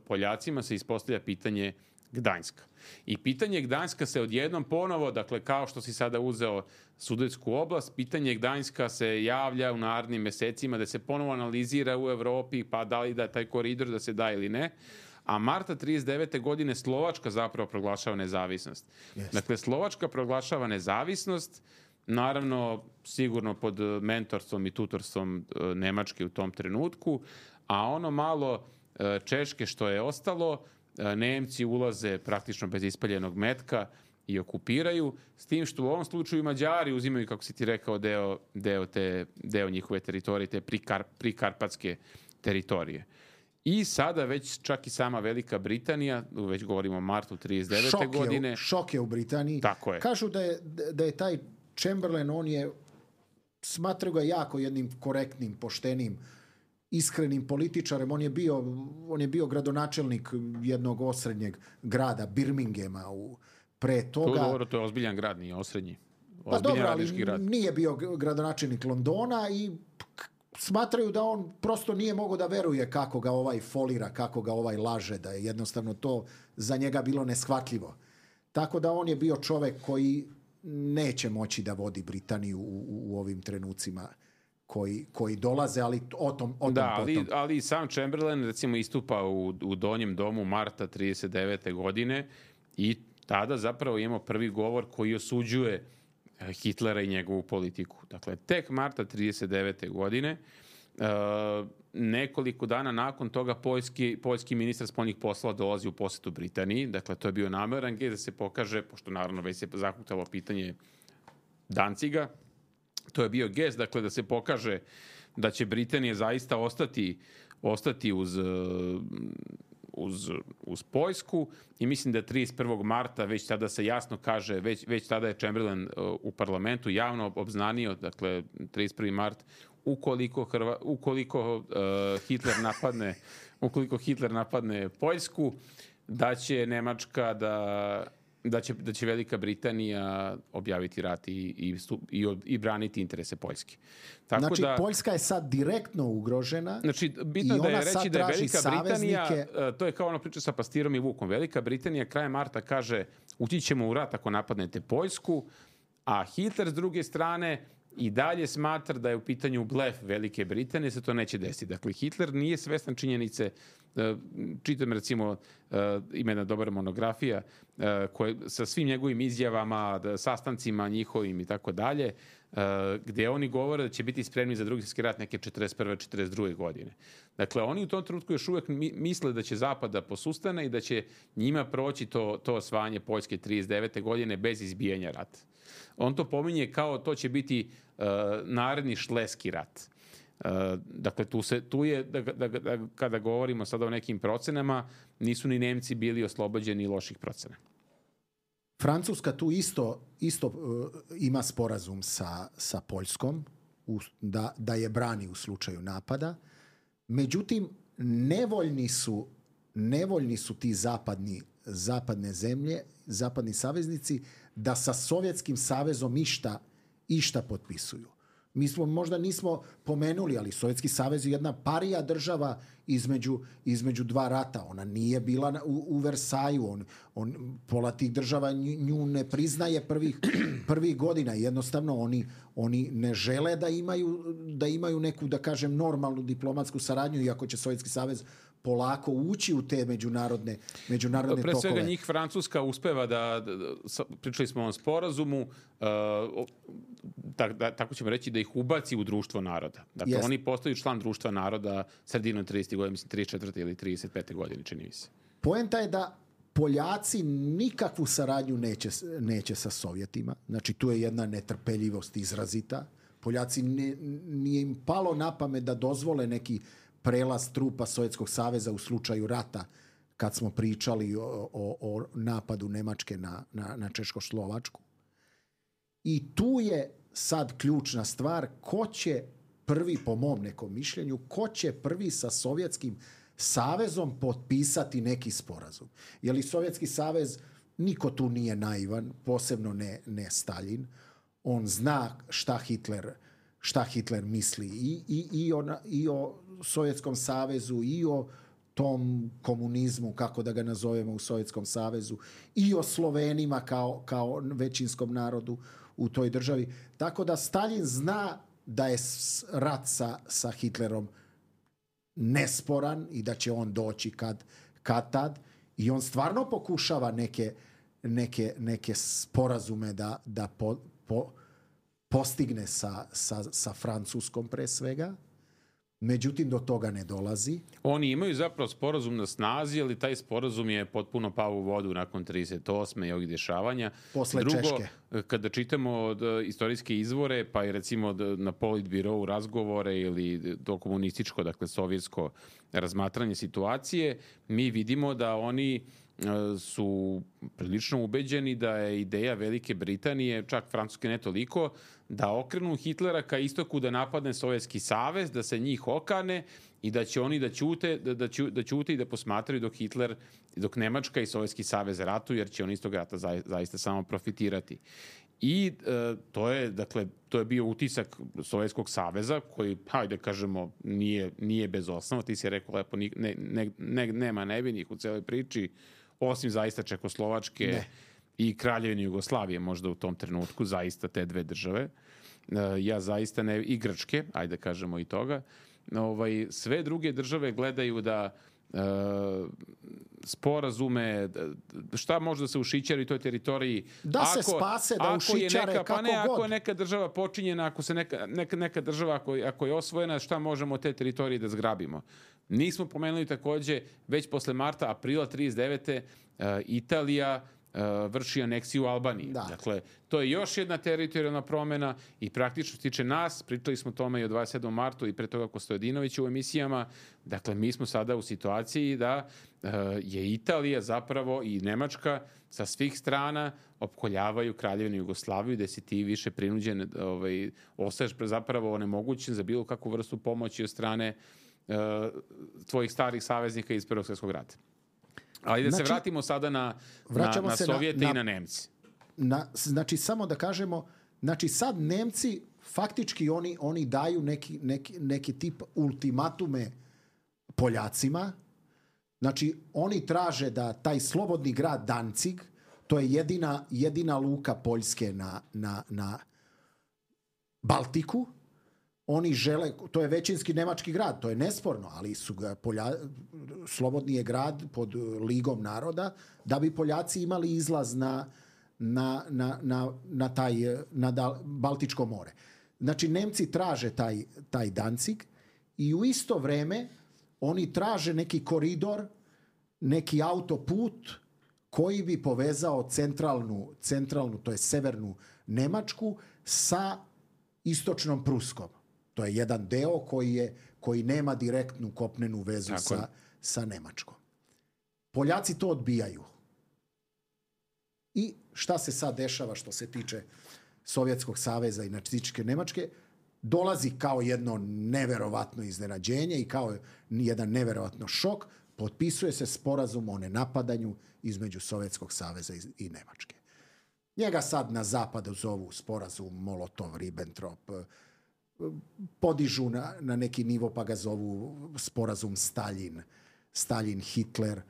Poljacima se ispostavlja pitanje Gdańska. I pitanje Gdańska se odjednom ponovo, dakle, kao što si sada uzeo Sudetsku oblast, pitanje Gdańska se javlja u narednim mesecima, da se ponovo analizira u Evropi, pa da li da taj koridor da se da ili ne. A marta trideset devete godine Slovačka zapravo proglašava nezavisnost. Yes. Dakle, Slovačka proglašava nezavisnost, naravno sigurno pod mentorstvom i tutorstvom Nemačke u tom trenutku, a ono malo Češke što je ostalo, Nemci ulaze praktično bez ispaljenog metka i okupiraju, s tim što u ovom slučaju Mađari uzimaju, kako si ti rekao, deo, deo, te, deo njihove teritorije, te prikar, prikarpatske teritorije. I sada već čak i sama Velika Britanija, već govorimo o martu trideset devete šok godine. Je, šok je u Britaniji. Tako je. Kažu da je, da je taj Chamberlain, on je, smatraju ga jako jednim korektnim, poštenim, iskrenim političarem. On je bio, on je bio gradonačelnik jednog osrednjeg grada, Birminghama, u, pre toga. To, dobro, to je ozbiljan grad, nije osrednji. Pa dobro, ali grad. Nije bio gradonačelnik Londona i smatraju da on prosto nije mogao da veruje kako ga ovaj folira, kako ga ovaj laže, da je jednostavno to za njega bilo neshvatljivo. Tako da on je bio čovek koji neće moći da vodi Britaniju u, u, u ovim trenucima koji, koji dolaze, ali o tom, o tom da, potom. ali, ali sam Chamberlain recimo istupa u, u donjem domu marta trideset devete godine i tada zapravo imamo prvi govor koji osuđuje Hitlera i njegovu politiku. Dakle, tek marta trideset devete godine, uh, nekoliko dana nakon toga poljski, poljski ministar spoljnih poslova dolazi u posetu Britaniji. Dakle, to je bio nameran gdje da se pokaže, pošto naravno već se zahuktalo pitanje Danciga, To je bio gest, dakle, da se pokaže da će Britanija zaista ostati, ostati uz, uz, uz Poljsku i mislim da trideset prvog marta već tada se jasno kaže, već, već tada je Chamberlain u parlamentu javno obznanio, dakle, trideset prvi mart, ukoliko, Hrva, ukoliko uh, Hitler napadne ukoliko Hitler napadne Poljsku, da će Nemačka da Da će, da će Velika Britanija objaviti rat i, i, i, i braniti interese Poljske. Tako znači, da, Poljska je sad direktno ugrožena. Znači, bitno da je reći da je Velika Britanija, to je kao ono priča sa Pastirom i Vukom. Velika Britanija krajem marta kaže ući ćemo u rat ako napadnete Poljsku, a Hitler s druge strane i dalje smatra da je u pitanju blef Velike Britanije, se to neće desiti. Dakle, Hitler nije svestan činjenice, čitam recimo, ima jedna dobra monografija koje, sa svim njegovim izjavama, sastancima njihovim i tako dalje, gde oni govore da će biti spremni za drugi svjetski rat neke četrdeset prve četrdeset druge godine. Dakle, oni u tom trenutku još uvek misle da će Zapad da posustane i da će njima proći to, to osvajanje Poljske trideset devete godine bez izbijanja rata. On to pominje kao to će biti uh, naredni šleski rat. Uh, dakle, tu, se, tu je, da, da, da, kada govorimo sada o nekim procenama, nisu ni Nemci bili oslobođeni loših procena. Francuska tu isto, isto uh, ima sporazum sa, sa Poljskom, u, da, da je brani u slučaju napada. Međutim, nevoljni su, nevoljni su ti zapadni, zapadne zemlje, zapadni saveznici, da sa Sovjetskim savezom išta, išta potpisuju. Mi smo, možda nismo pomenuli, ali Sovjetski savez je jedna parija država između, između dva rata. Ona nije bila u, u Versaju. On, on, pola tih država nju ne priznaje prvih, prvih godina. Jednostavno, oni, oni ne žele da imaju, da imaju neku, da kažem, normalnu diplomatsku saradnju, iako će Sovjetski savez polako ući u te međunarodne, međunarodne Pre tokove. Pre svega njih Francuska uspeva da, da, da pričali smo o ovom sporazumu, uh, tak, da, tako ćemo reći da ih ubaci u društvo naroda. Dakle, yes. Oni postaju član društva naroda sredinom tridesetih godina, mislim trideset četvrte ili trideset pete godine, čini mi se. Poenta je da Poljaci nikakvu saradnju neće, neće sa Sovjetima. Znači, tu je jedna netrpeljivost izrazita. Poljaci ne, nije im palo na pamet da dozvole neki prelaz trupa Sovjetskog saveza u slučaju rata, kad smo pričali o, o, o napadu Nemačke na, na, na Češko-Slovačku. I tu je sad ključna stvar, ko će prvi, po mom nekom mišljenju, ko će prvi sa Sovjetskim savezom potpisati neki sporazum. Jer i Sovjetski savez, niko tu nije naivan, posebno ne, ne Staljin. On zna šta Hitler, šta Hitler misli i, i, i, o, i o Sovjetskom savezu, i o tom komunizmu, kako da ga nazovemo u Sovjetskom savezu, i o Slovenima kao, kao većinskom narodu u toj državi. Tako da Staljin zna da je rat sa, sa Hitlerom nesporan i da će on doći kad, kad tad. I on stvarno pokušava neke, neke, neke sporazume da, da po, po, postigne sa, sa, sa Francuskom pre svega. Međutim, do toga ne dolazi. Oni imaju zapravo sporazum na snazi, ali taj sporazum je potpuno pao u vodu nakon trideset osme i ovih dešavanja. Posle Drugo, Češke. Kada čitamo od istorijske izvore, pa i recimo na Politbirovu razgovore ili to komunističko, dakle sovjetsko razmatranje situacije, mi vidimo da oni su prilično ubeđeni da je ideja Velike Britanije, čak Francuske ne toliko, da okrenu Hitlera ka istoku, da napadne Sovjetski savez, da se njih okane i da će oni da ćute, da, da, ću, da ćute i da posmatraju dok Hitler, dok Nemačka i Sovjetski savez ratuju, jer će oni iz tog rata za, zaista samo profitirati. I e, to je, dakle, to je bio utisak Sovjetskog saveza koji, hajde kažemo, nije, nije bez osnova. Ti si rekao lepo, ne, ne, ne, nema nevinih u celoj priči, osim zaista Čekoslovačke ne. i Kraljevine Jugoslavije možda u tom trenutku, zaista te dve države. Ja zaista ne, i Grčke, ajde kažemo i toga. Ovaj, sve druge države gledaju da e, sporazume, šta može da se ušićari u toj teritoriji. Da ako, se spase, da ušićare neka, kako pa ne, god. Ako je neka država počinjena, ako se neka, neka, neka država ako, ako je osvojena, šta možemo od te teritorije da zgrabimo? Nismo pomenuli takođe, već posle marta, aprila trideset devete. Uh, Italija vrši aneksiju Albanije. Da. Dakle, to je još jedna teritorijalna promjena i praktično što se tiče nas, pričali smo o tome i o dvadeset sedmom martu i pre toga Kostadinović u emisijama, dakle, mi smo sada u situaciji da uh, je Italija zapravo i Nemačka sa svih strana opkoljavaju Kraljevinu Jugoslaviju, da si ti više prinuđen, ovaj, ostaješ zapravo onemogućen za bilo kakvu vrstu pomoći od strane uh, tvojih starih saveznika iz Prvog svjetskog rata. Ali da znači, se vratimo sada na, na, na Sovjete na, na, i na Nemci. Na, znači, samo da kažemo, znači sad Nemci faktički oni, oni daju neki, neki, neki tip ultimatume Poljacima. Znači, oni traže da taj slobodni grad Danzig, to je jedina, jedina luka Poljske na, na, na Baltiku, oni žele, to je većinski nemački grad, to je nesporno, ali su ga Polja, slobodni je grad pod Ligom naroda, da bi Poljaci imali izlaz na, na, na, na, na, taj, na Baltičko more. Znači, Nemci traže taj, taj Danzig i u isto vreme oni traže neki koridor, neki autoput koji bi povezao centralnu, centralnu to je severnu Nemačku sa istočnom Pruskom. To je jedan deo koji, je, koji nema direktnu kopnenu vezu sa, sa Nemačkom. Poljaci to odbijaju. I šta se sad dešava što se tiče Sovjetskog saveza i nacističke Nemačke? Dolazi kao jedno neverovatno iznenađenje i kao jedan neverovatno šok. Potpisuje se sporazum o nenapadanju između Sovjetskog saveza i Nemačke. Njega sad na zapadu zovu sporazum Molotov-Ribbentrop, podižu na, na neki nivo pa ga zovu sporazum Stalin, Stalin-Hitler.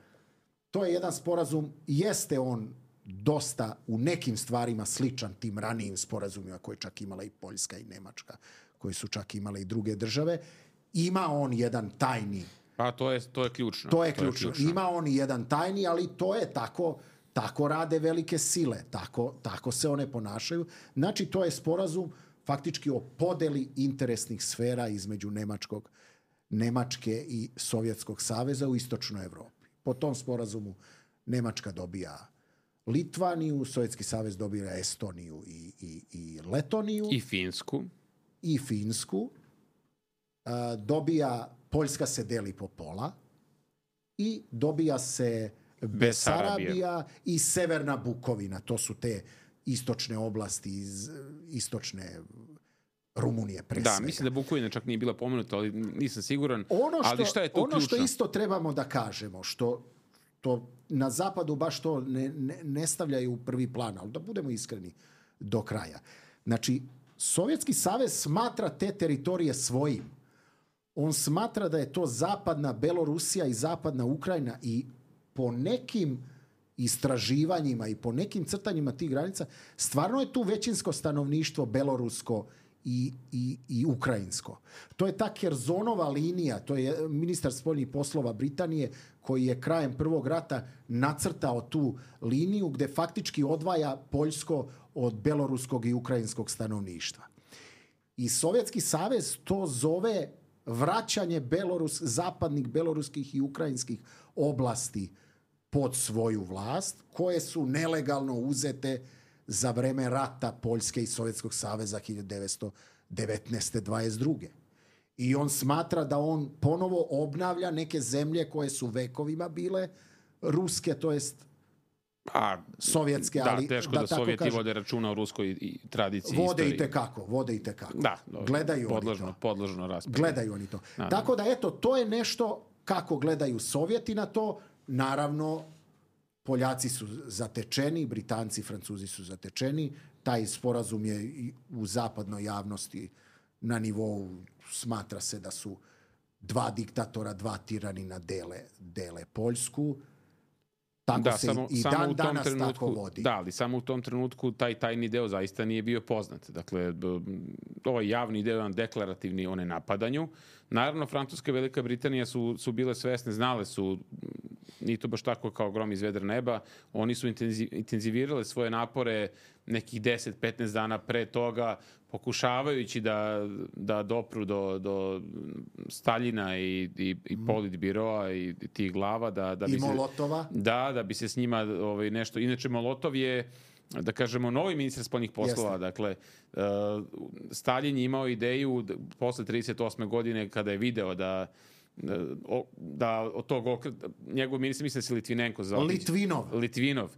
To je jedan sporazum, jeste on dosta u nekim stvarima sličan tim ranijim sporazumima koje čak imala i Poljska i Nemačka, koje su čak imale i druge države. Ima on jedan tajni. Pa to je, to je ključno. To je ključno. To je ključno. Ima on jedan tajni, ali to je tako, tako rade velike sile. Tako, tako se one ponašaju. Znači, to je sporazum faktički o podeli interesnih sfera između Nemačkog, Nemačke i Sovjetskog saveza u istočnoj Evropi. Po tom sporazumu Nemačka dobija Litvaniju, Sovjetski savez dobija Estoniju i, i, i Letoniju. I Finsku. I Finsku. A, dobija, Poljska se deli po pola i dobija se Besarabija i Severna Bukovina. To su te istočne oblasti iz istočne Rumunije pre svega. Da, mislim da Bukovina čak nije bila pomenuta, ali nisam siguran. Ono što, ali šta je tu ono ključno? Što isto trebamo da kažemo, što to na zapadu baš to ne, ne, ne stavljaju u prvi plan, ali da budemo iskreni do kraja. Znači, Sovjetski savez smatra te teritorije svojim. On smatra da je to zapadna Belorusija i zapadna Ukrajina i po nekim istraživanjima i po nekim crtanjima tih granica, stvarno je tu većinsko stanovništvo belorusko i, i, i ukrajinsko. To je ta Kerzonova linija, to je ministar spoljnih poslova Britanije koji je krajem Prvog rata nacrtao tu liniju gde faktički odvaja poljsko od beloruskog i ukrajinskog stanovništva. I Sovjetski savez to zove vraćanje Belorus, zapadnih beloruskih i ukrajinskih oblasti pod svoju vlast, koje su nelegalno uzete za vreme rata Poljske i Sovjetskog saveza hiljadu devetsto devetnaeste dvadeset druge. I on smatra da on ponovo obnavlja neke zemlje koje su vekovima bile ruske, to jest A, sovjetske. Da, ali, teško da, da Sovjeti kažem, vode računa o ruskoj i tradiciji. Vode istoriji. i tekako, vode i tekako. Da, dobro, gledaju podložno, oni to. podložno raspravi. Gledaju oni to. Da, Tako da, eto, to je nešto kako gledaju Sovjeti na to. Naravno, Poljaci su zatečeni, Britanci, Francuzi su zatečeni. Taj sporazum je i u zapadnoj javnosti na nivou, smatra se da su dva diktatora, dva tiranina dele, dele Poljsku. Tako da, se samo, i samo dan u tom danas trenutku, tako vodi. Da, ali samo u tom trenutku taj tajni deo zaista nije bio poznat. Dakle, ovaj javni deo je deklarativni o nenapadanju. Naravno, Francuska i Velika Britanija su, su bile svesne, znale su nije to baš tako kao grom iz vedra neba. Oni su intenzivirale svoje napore nekih deset do petnaest dana pre toga, pokušavajući da, da dopru do, do Staljina i, i, i Politbiroa i tih glava. Da, da bi I Molotova. Se, da, da bi se s njima ovaj, nešto... Inače, Molotov je, da kažemo, novi ministar spoljnih poslova. Jeste. Dakle, uh, Staljin je imao ideju posle trideset osme godine kada je video da da od tog okreta, njegov ministar, mislim da se Litvinenko zove. Litvinov. Litvinov.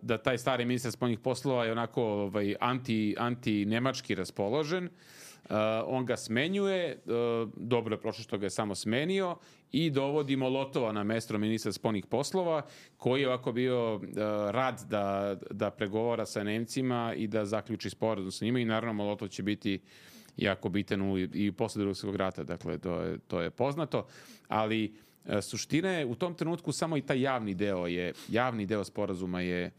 Da taj stari ministar spoljnih poslova je onako ovaj, anti, anti-nemački raspoložen. On ga smenjuje, dobro je prošlo što ga je samo smenio i dovodi Molotova na mesto ministra spoljnih poslova, koji je ovako bio rad da, da pregovara sa Nemcima i da zaključi sporazum sa njima i naravno Molotov će biti jako bitan u, i posle Drugog svjetskog rata, dakle to je, to je poznato, ali e, suština je u tom trenutku samo i taj javni deo je, javni deo sporazuma je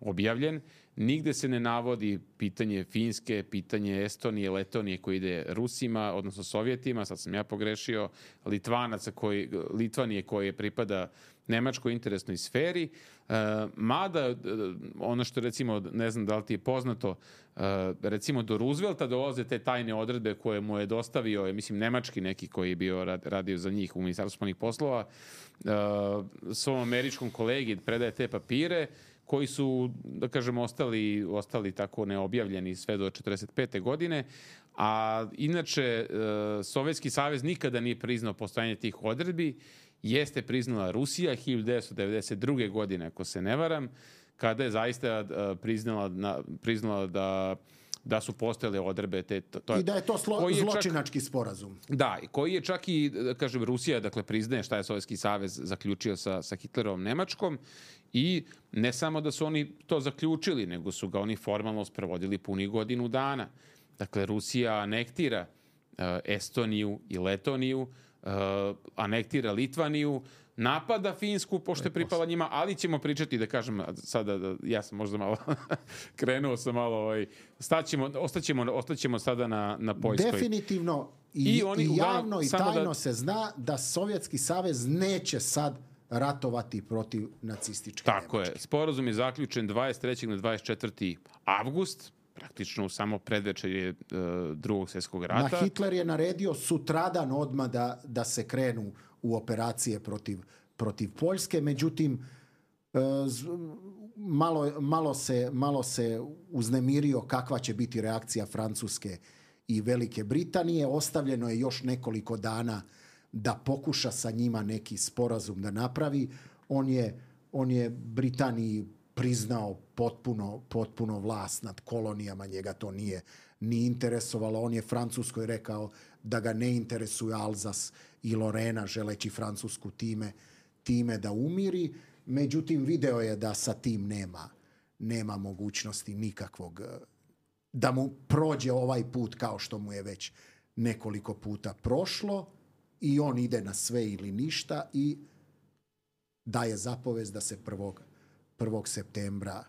objavljen, nigde se ne navodi pitanje Finske, pitanje Estonije, Letonije koji ide Rusima, odnosno Sovjetima, sad sam ja pogrešio, Litvanaca koji, Litvanije koje pripada nemačkoj interesnoj sferi, e, mada ono što recimo, ne znam da li ti je poznato, e, recimo do Roosevelta dolaze te tajne odredbe koje mu je dostavio, mislim, nemački neki koji je bio radio za njih u Ministarstvu spoljnih poslova, e, svom američkom kolegi predaje te papire, koji su, da kažem, ostali, ostali tako neobjavljeni sve do četrdeset pete godine, a inače Sovjetski savez nikada nije priznao postojanje tih odredbi, jeste priznala Rusija hiljadu devetsto devedeset druge godine, ako se ne varam, kada je zaista priznala, priznala da da su postojale odredbe te to, to i da je to slo, je zločinački čak, sporazum. Da, koji je čak i, da kažem, Rusija, dakle, priznaje šta je Sovjetski savez zaključio sa, sa Hitlerovom Nemačkom i ne samo da su oni to zaključili, nego su ga oni formalno sprovodili punih godinu dana. Dakle, Rusija anektira uh, Estoniju i Letoniju, uh, anektira Litvaniju, napada Finsku, pošto je pripala njima, ali ćemo pričati, da kažem, sada, da, ja sam možda malo krenuo sam malo, ovaj, staćemo, ostaćemo, ostaćemo sada na, na Poljskoj. Definitivno i, I, oni, i javno i tajno da, se zna da Sovjetski savez neće sad ratovati protiv nacističke Tako Nemačke. je. Sporazum je zaključen dvadeset trećeg na dvadeset četvrti avgust, praktično samo predvečerje uh, Drugog svjetskog rata. Na Hitler je naredio sutradan odmah da, da se krenu u operacije protiv, protiv Poljske, međutim malo, malo, se, malo se uznemirio kakva će biti reakcija Francuske i Velike Britanije. Ostavljeno je još nekoliko dana da pokuša sa njima neki sporazum da napravi. On je, on je Britaniji priznao potpuno, potpuno vlast nad kolonijama, njega to nije ni interesovalo. On je Francuskoj rekao da ga ne interesuje Alzas i Lorena, želeći Francusku time, time da umiri. Međutim, video je da sa tim nema, nema mogućnosti nikakvog, da mu prođe ovaj put kao što mu je već nekoliko puta prošlo i on ide na sve ili ništa i daje zapovest da se prvog septembra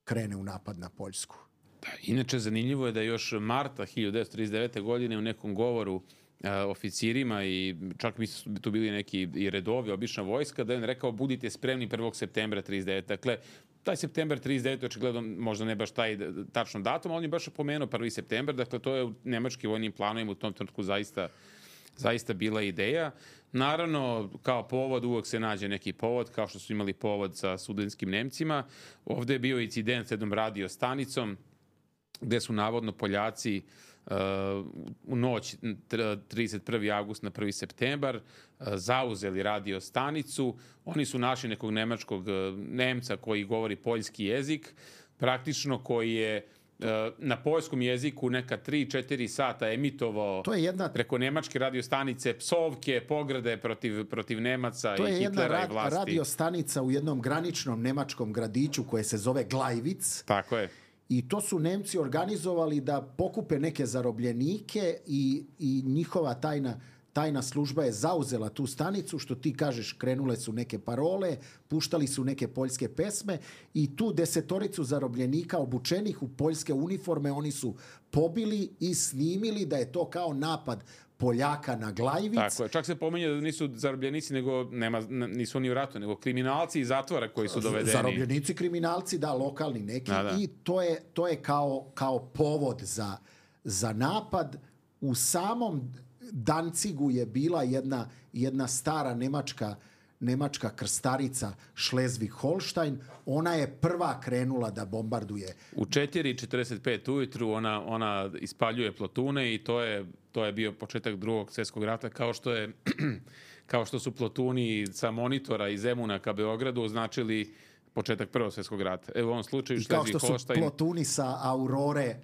krene u napad na Poljsku. Da, inače, zanimljivo je da još marta hiljadu devetsto trideset devete. godine u nekom govoru a, oficirima i čak mi su tu bili neki i redovi, obična vojska, da je on rekao budite spremni prvog septembra trideset devete. Dakle, taj septembar trideset devete. očigledno možda ne baš taj tačno datum, ali on je baš pomenuo prvi septembar, dakle to je u nemačkim vojnim planovima u tom trenutku zaista zaista bila ideja. Naravno, kao povod uvek se nađe neki povod, kao što su imali povod sa sudanskim Nemcima. Ovde je bio incident s jednom radio stanicom, gde su navodno Poljaci uh, u noć trideset prvi avgust na prvi septembar uh, zauzeli radio stanicu. Oni su našli nekog nemačkog uh, Nemca koji govori poljski jezik, praktično koji je na poljskom jeziku neka tri četiri sata emitovao to je jedna, preko nemačke radiostanice psovke, pograde protiv, protiv Nemaca i Hitlera i vlasti. To je jedna radiostanica u jednom graničnom nemačkom gradiću koje se zove Glajvic. Tako je. I to su Nemci organizovali da pokupe neke zarobljenike i, i njihova tajna tajna služba je zauzela tu stanicu, što ti kažeš, krenule su neke parole, puštali su neke poljske pesme i tu desetoricu zarobljenika obučenih u poljske uniforme oni su pobili i snimili da je to kao napad Poljaka na Glajvic. Tako je. Čak se pominje da nisu zarobljenici, nego nema, nisu oni u ratu, nego kriminalci iz zatvora koji su dovedeni. Zarobljenici, kriminalci, da, lokalni neki. Da, da. I to je, to je kao, kao povod za, za napad. U samom Dancigu je bila jedna, jedna stara nemačka nemačka krstarica Schleswig-Holstein, ona je prva krenula da bombarduje. U četiri četrdeset pet ujutru ona, ona ispaljuje plotune i to je, to je bio početak drugog svjetskog rata, kao što je kao što su plotuni sa Monitora iz Zemuna ka Beogradu označili početak prvog svjetskog rata. Evo u ovom slučaju Schleswig-Holstein. I kao što su plotuni sa Aurore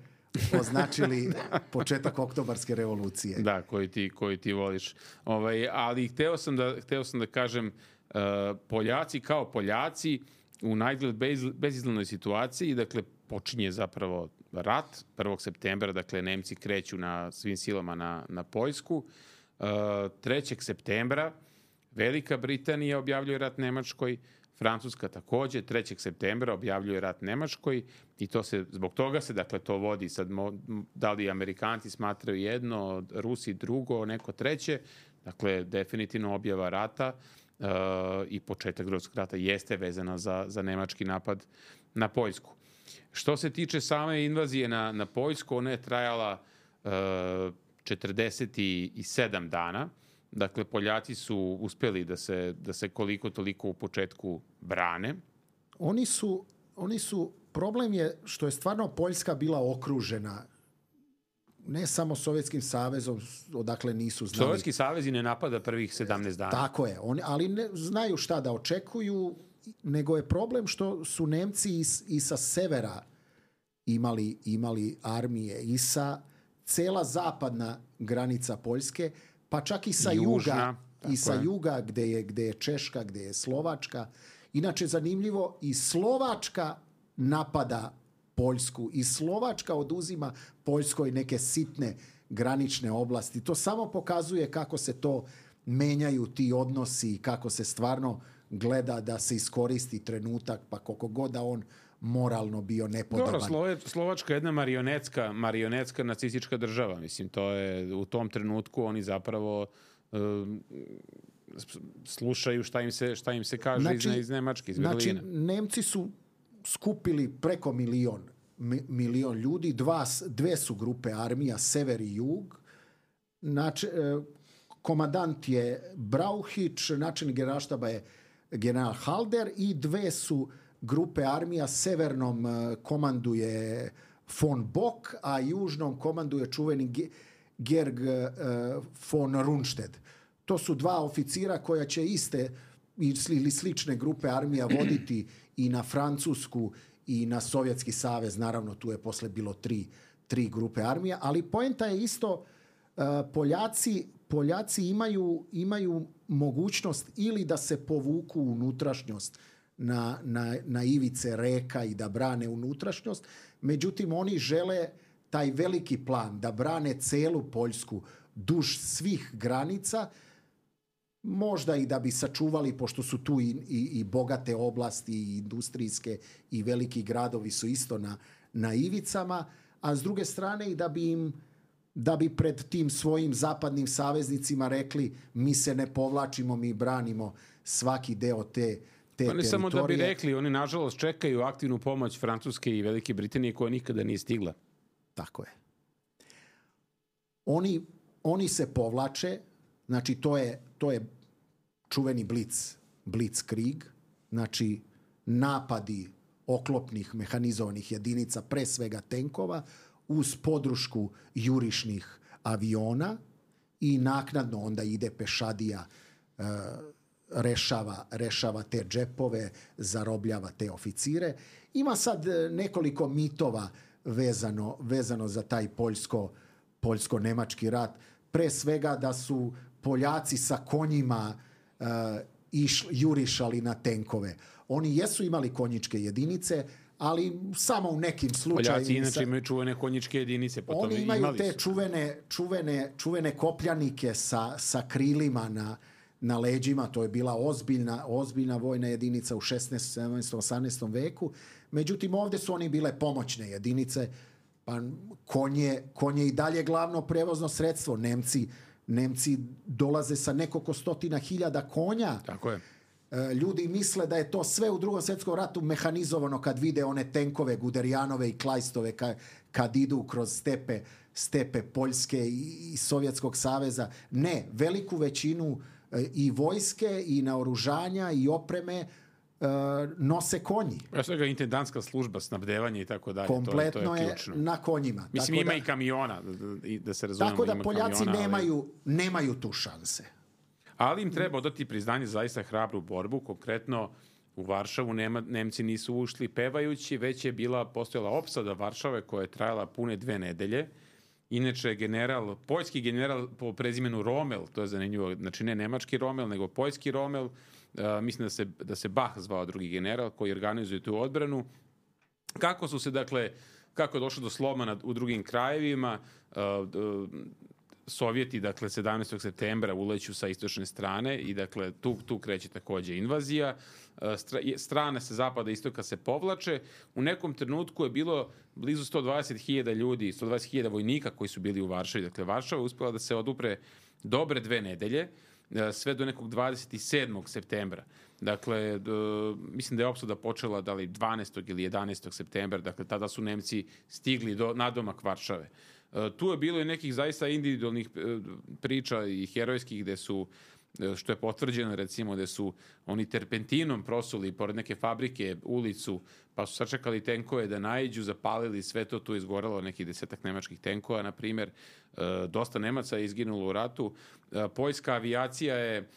označili početak oktobarske revolucije. Da, koji ti, koji ti voliš. Ovaj, ali hteo sam da, hteo sam da kažem, uh, Poljaci kao Poljaci u najgled bez, bezizglednoj situaciji, dakle, počinje zapravo rat prvog septembra, dakle, Nemci kreću na svim silama na, na Poljsku. Uh, trećeg septembra Velika Britanija objavljuje rat Nemačkoj, Francuska takođe trećeg septembra objavljuje rat Nemačkoj i to se, zbog toga se, dakle, to vodi sad, da li Amerikanci smatraju jedno, Rusi drugo, neko treće, dakle, definitivno objava rata uh, i početak drugog rata jeste vezana za, za nemački napad na Poljsku. Što se tiče same invazije na, na Poljsku, ona je trajala uh, četrdeset sedam dana. Dakle, Poljaci su uspjeli da se, da se koliko toliko u početku brane. Oni su, oni su, problem je što je stvarno Poljska bila okružena ne samo Sovjetskim savezom, odakle nisu znali. Sovjetski savez i ne napada prvih sedamnaest dana. Tako je, oni, ali ne znaju šta da očekuju, nego je problem što su Nemci i, i sa severa imali, imali armije i sa cela zapadna granica Poljske, pa čak i sa Južna, juga, i sa je. juga gde je, gde je Češka, gde je Slovačka. Inače, zanimljivo, i Slovačka napada Poljsku i Slovačka oduzima Poljskoj neke sitne granične oblasti. To samo pokazuje kako se to menjaju ti odnosi i kako se stvarno gleda da se iskoristi trenutak, pa koliko god da on moralno bio nepodoban. Dobro, Slove, Slovačka je jedna marionetska, marionetska nacistička država. Mislim, to je u tom trenutku oni zapravo uh, slušaju šta im se, šta im se kaže znači, iz, iz Nemačke, iz Berlina. Znači, Nemci su skupili preko milion, milion ljudi, dva, dve su grupe armija, sever i jug. Znači, komandant je Brauhić, načelnik generalštaba je general Halder i dve su grupe armija, severnom komanduje von Bock, a južnom komanduje čuveni Georg von Rundstedt. To su dva oficira koja će iste ili slične grupe armija voditi i na Francusku i na Sovjetski savez. Naravno, tu je posle bilo tri, tri grupe armija, ali poenta je isto, Poljaci, Poljaci imaju, imaju mogućnost ili da se povuku u unutrašnjost Na, na, na ivice reka i da brane unutrašnjost. Međutim, oni žele taj veliki plan da brane celu Poljsku duž svih granica, možda i da bi sačuvali, pošto su tu i, i, i bogate oblasti i industrijske i veliki gradovi su isto na, na ivicama, a s druge strane i da bi im da bi pred tim svojim zapadnim saveznicima rekli mi se ne povlačimo, mi branimo svaki deo te Te oni samo da bi rekli, oni nažalost čekaju aktivnu pomoć Francuske i Velike Britanije koja nikada nije stigla. Tako je. Oni, oni se povlače, znači to je, to je čuveni blic, blitzkrieg, znači napadi oklopnih mehanizovanih jedinica, pre svega tenkova, uz podršku jurišnih aviona i naknadno onda ide pešadija uh, rešava, rešava te džepove, zarobljava te oficire. Ima sad nekoliko mitova vezano, vezano za taj poljsko, poljsko-nemački rat. Pre svega da su Poljaci sa konjima uh, iš, jurišali na tenkove. Oni jesu imali konjičke jedinice, ali samo u nekim slučajima. Poljaci inače imaju čuvene konjičke jedinice. Potom oni imaju te čuvene, čuvene, čuvene kopljanike sa, sa krilima na na leđima, to je bila ozbiljna, ozbiljna vojna jedinica u šesnaestom, sedamnaestom, osamnaestom veku. Međutim, ovdje su oni bile pomoćne jedinice, pa konje, konje i dalje glavno prevozno sredstvo. Nemci, Nemci dolaze sa nekoliko stotina hiljada konja. Tako je. Ljudi misle da je to sve u Drugom svjetskom ratu mehanizovano kad vide one tenkove Guderijanove i Kleistove kad, kad idu kroz stepe, stepe Poljske i, i Sovjetskog saveza. Ne, veliku većinu i vojske i naoružanja i opreme uh, nose konji. Ja svega intendantska služba, snabdevanje i tako dalje. Kompletno to, to je, je ključno. na konjima. Mislim, tako ima da, i kamiona, da, da se razumemo. Tako da ima Poljaci kamiona, nemaju, ali... nemaju tu šanse. Ali im treba odati priznanje zaista hrabru borbu. Konkretno u Varšavu nema, Nemci nisu ušli pevajući, već je bila postojala opsada Varšave koja je trajala pune dve nedelje. Inače, general, poljski general po prezimenu Rommel, to je zanimljivo, znači ne nemački Rommel, nego poljski Rommel, uh, mislim da se, da se Bach zvao drugi general koji organizuje tu odbranu. Kako su se, dakle, kako je došlo do sloma na, u drugim krajevima, uh, uh, Sovjeti, dakle, sedamnaestog septembra uleću sa istočne strane i, dakle, tu, tu kreće takođe invazija. Strane sa zapada i istoka se povlače. U nekom trenutku je bilo blizu sto dvadeset hiljada ljudi, sto dvadeset hiljada vojnika koji su bili u Varšavi. Dakle, Varšava je uspela da se odupre dobre dve nedelje, sve do nekog dvadeset sedmog septembra. Dakle, do, mislim da je opsada počela da li dvanaestog ili jedanaestog septembra. Dakle, tada su Nemci stigli do nadomak Varšave. Tu je bilo i nekih zaista individualnih priča i herojskih gde su, što je potvrđeno recimo, gde su oni terpentinom prosuli pored neke fabrike ulicu, pa su sačekali tenkove da naiđu, zapalili sve to, tu je izgoralo nekih desetak nemačkih tenkova, na primjer. Dosta Nemaca je izginulo u ratu. Poljska avijacija je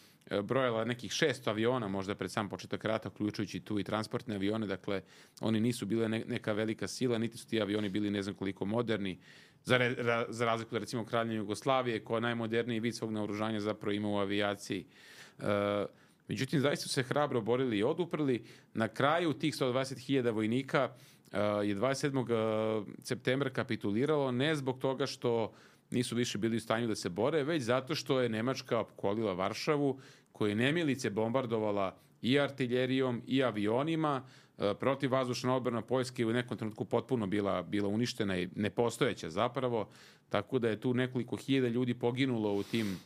brojala nekih šest aviona možda pred sam početak rata, uključujući tu i transportne avione, dakle oni nisu bile neka velika sila, niti su ti avioni bili ne znam koliko moderni, za, re, ra, za razliku da recimo Kraljevine Jugoslavije, koja najmoderniji vid svog naoružanja zapravo ima u avijaciji. E, međutim, zaista su se hrabro borili i oduprli. Na kraju tih sto dvadeset hiljada vojnika e, je dvadeset sedmog septembra kapituliralo, ne zbog toga što nisu više bili u stanju da se bore, već zato što je Nemačka opkolila Varšavu, koja je nemilice bombardovala i artiljerijom i avionima. Protivvazdušna odbrana Poljske u nekom trenutku potpuno bila, bila uništena i nepostojeća zapravo, tako da je tu nekoliko hiljada ljudi poginulo u tim,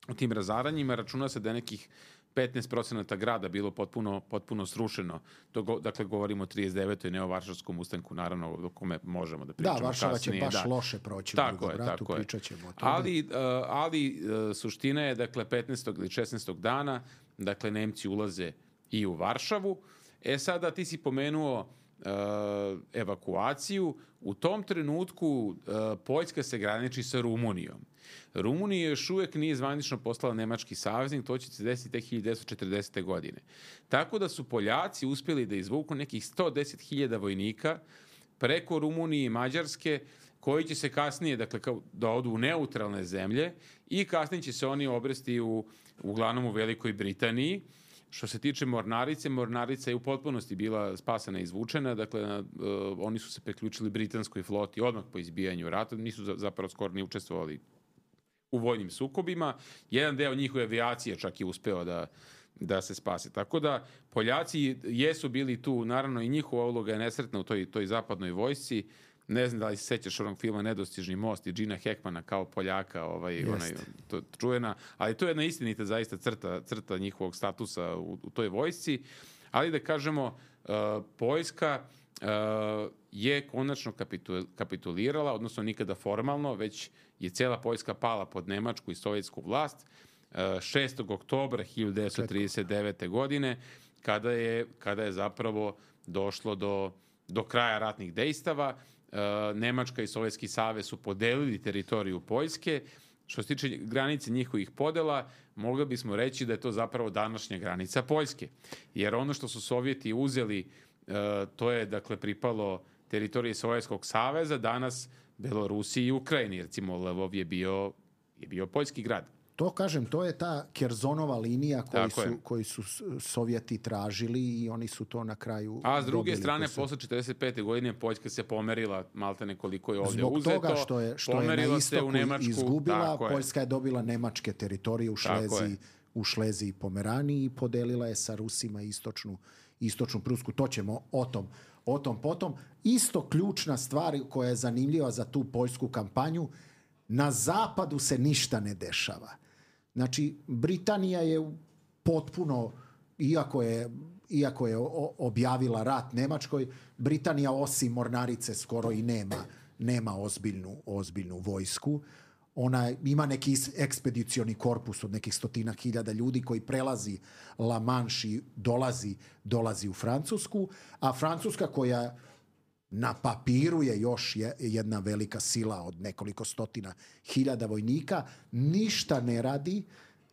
u tim razaranjima. Računa se da je nekih petnaest procenata grada bilo potpuno, potpuno srušeno. To go, dakle, govorimo o trideset devetoj ne o Varšavskom ustanku, naravno, o kome možemo da pričamo kasnije. Da, Varšava kasnije, će baš da. loše proći tako u drugom je, ratu, tako pričat ćemo o tome. Ali, uh, ali uh, suština je, dakle, petnaestog ili šesnaestog dana, dakle, Nemci ulaze i u Varšavu. E sada, ti si pomenuo uh, evakuaciju. U tom trenutku uh, Poljska se graniči sa Rumunijom. Rumunija još uvijek nije zvanično poslala nemački saveznik, to će se desiti tek hiljadu devetsto četrdesete. godine. Tako da su Poljaci uspjeli da izvuku nekih sto deset hiljada vojnika preko Rumunije i Mađarske, koji će se kasnije, dakle, kao da odu u neutralne zemlje i kasnije će se oni obresti u, uglavnom u Velikoj Britaniji. Što se tiče Mornarice, Mornarica je u potpunosti bila spasana i izvučena, dakle, uh, oni su se priključili britanskoj floti odmah po izbijanju rata, nisu za, zapravo skoro ni učestvovali u vojnim sukobima. Jedan deo njihove avijacije čak je uspeo da, da se spase. Tako da Poljaci jesu bili tu, naravno i njihova uloga je nesretna u toj, toj zapadnoj vojsci. Ne znam da li se sećaš onog filma Nedostižni most i Gina Hackmana kao Poljaka, ovaj, onaj, to, čujena, ali to je jedna istinita zaista crta, crta njihovog statusa u, u toj vojsci. Ali da kažemo, uh, Poljska uh, je konačno kapitul, kapitulirala, odnosno nikada formalno, već je cijela Poljska pala pod nemačku i sovjetsku vlast uh, šestog oktobra hiljadu devetsto trideset devete. godine, kada je, kada je zapravo došlo do, do kraja ratnih dejstava. Nemačka i Sovjetski savez su podelili teritoriju Poljske. Što se tiče granice njihovih podela, mogli bismo reći da je to zapravo današnja granica Poljske. Jer ono što su Sovjeti uzeli, to je, dakle, pripalo teritorije Sovjetskog saveza, danas Belorusiji i Ukrajini. Recimo, Lvov je bio, je bio poljski grad. To, kažem, to je ta Kerzonova linija koju su, koju su Sovjeti tražili i oni su to na kraju... A s druge strane, posle četrdeset pete. godine Poljska se pomerila maltene koliko je ovdje Zbog uzeto. Zbog toga što je, što je na istoku izgubila, Poljska je dobila nemačke teritorije u Šleziji, u Šleziji i Pomeraniji i podelila je sa Rusima istočnu, istočnu Prusku. To ćemo o tom, o tom potom. Isto ključna stvar koja je zanimljiva za tu poljsku kampanju, Na zapadu se ništa ne dešava. Znači, Britanija je potpuno, iako je, iako je objavila rat Nemačkoj, Britanija osim mornarice skoro i nema, nema ozbiljnu, ozbiljnu vojsku. Ona ima neki ekspedicioni korpus od nekih stotina hiljada ljudi koji prelazi La Manche i dolazi, dolazi u Francusku, a Francuska koja na papiru je još jedna velika sila od nekoliko stotina hiljada vojnika, ništa ne radi.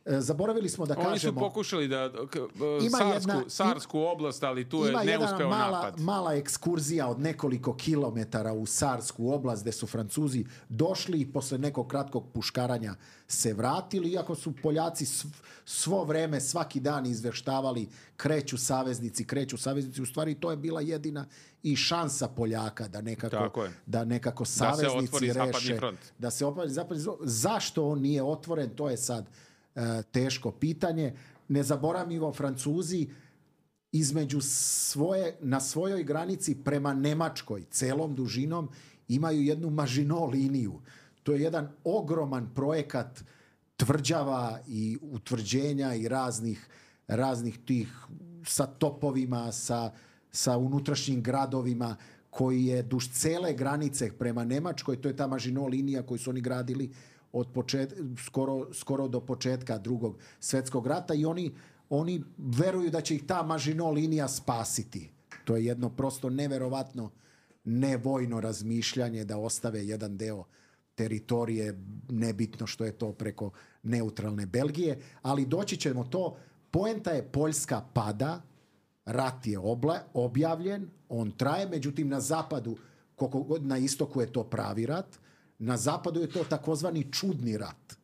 Zaboravili smo da Oni kažemo... Oni su pokušali da Sarsku, jedna, Sarsku oblast, ali tu je neuspeo mala, napad. Mala ekskurzija od nekoliko kilometara u Sarsku oblast gde su Francuzi došli i posle nekog kratkog puškaranja se vratili, iako su Poljaci svo vreme, svaki dan izveštavali kreću saveznici, kreću saveznici. U stvari to je bila jedina i šansa Poljaka da nekako, da nekako saveznici da reše. Da se otvori zapadni front. Zašto on nije otvoren, to je sad teško pitanje. Ne zaboravimo, Francuzi između svoje, na svojoj granici prema Nemačkoj celom dužinom imaju jednu Maginot liniju. To je jedan ogroman projekat tvrđava i utvrđenja i raznih, raznih tih sa topovima, sa, sa unutrašnjim gradovima koji je duž cele granice prema Nemačkoj. To je ta Maginot linija koju su oni gradili od početka, skoro, skoro do početka Drugog svjetskog rata i oni, oni veruju da će ih ta Maginot linija spasiti. To je jedno prosto neverovatno nevojno razmišljanje da ostave jedan deo teritorije, nebitno što je to preko neutralne Belgije, ali doći ćemo to. Poenta je Poljska pada, rat je obla, objavljen, on traje, međutim na zapadu, koliko god na istoku je to pravi rat, na zapadu je to takozvani čudni rat.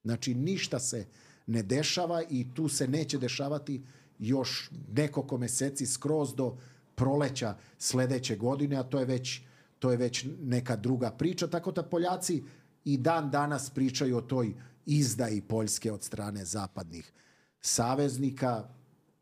Znači, ništa se ne dešava i tu se neće dešavati još nekoliko meseci skroz do proleća sledeće godine, a to je već, to je već neka druga priča. Tako da Poljaci i dan danas pričaju o toj izdaji Poljske od strane zapadnih saveznika.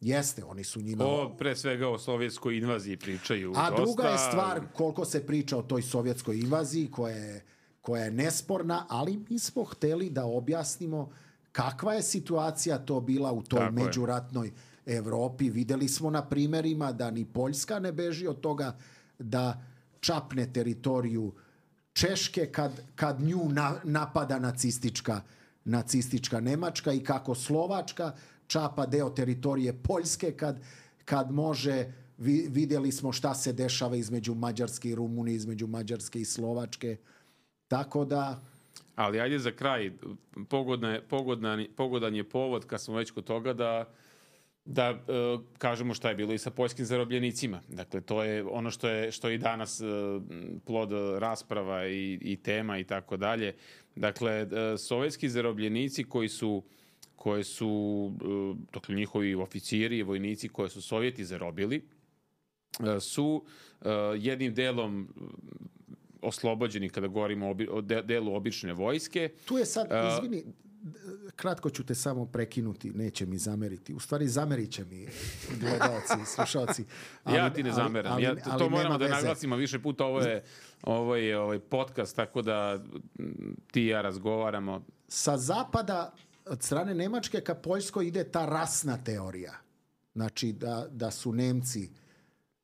Jeste, oni su njima... O, pre svega o sovjetskoj invaziji pričaju. A dosta... druga je stvar koliko se priča o toj sovjetskoj invaziji koja je, koja je nesporna, ali mi smo hteli da objasnimo kakva je situacija to bila u toj Tako međuratnoj je. Evropi. Videli smo na primerima da ni Poljska ne beži od toga da čapne teritoriju Češke kad, kad nju na, napada nacistička, nacistička Nemačka i kako Slovačka čapa deo teritorije Poljske kad, kad može. Vi, vidjeli smo šta se dešava između Mađarske i Rumunije, između Mađarske i Slovačke. Tako da... Ali ajde za kraj, pogodna, pogodan, pogodan je povod, kad smo već kod toga, da, da e, kažemo šta je bilo i sa poljskim zarobljenicima. Dakle, to je ono što je, što je i danas e, plod rasprava i, i tema i tako dalje. Dakle, e, sovjetski zarobljenici koji su koje su, dakle, njihovi oficiri i vojnici koje su Sovjeti zarobili, su jednim delom oslobođeni kada govorimo o delu obične vojske. Tu je sad, izvini, kratko ću te samo prekinuti, neće mi zameriti. U stvari zamerit će mi gledalci, slušalci. Ali, ja ti ne zameram. Ali, ali, ja, to moramo da veze. naglasimo više puta. Ovo je, ovo je ovaj podcast, tako da ti i ja razgovaramo. Sa zapada, od strane Nemačke ka Poljskoj ide ta rasna teorija. Znači da, da su Nemci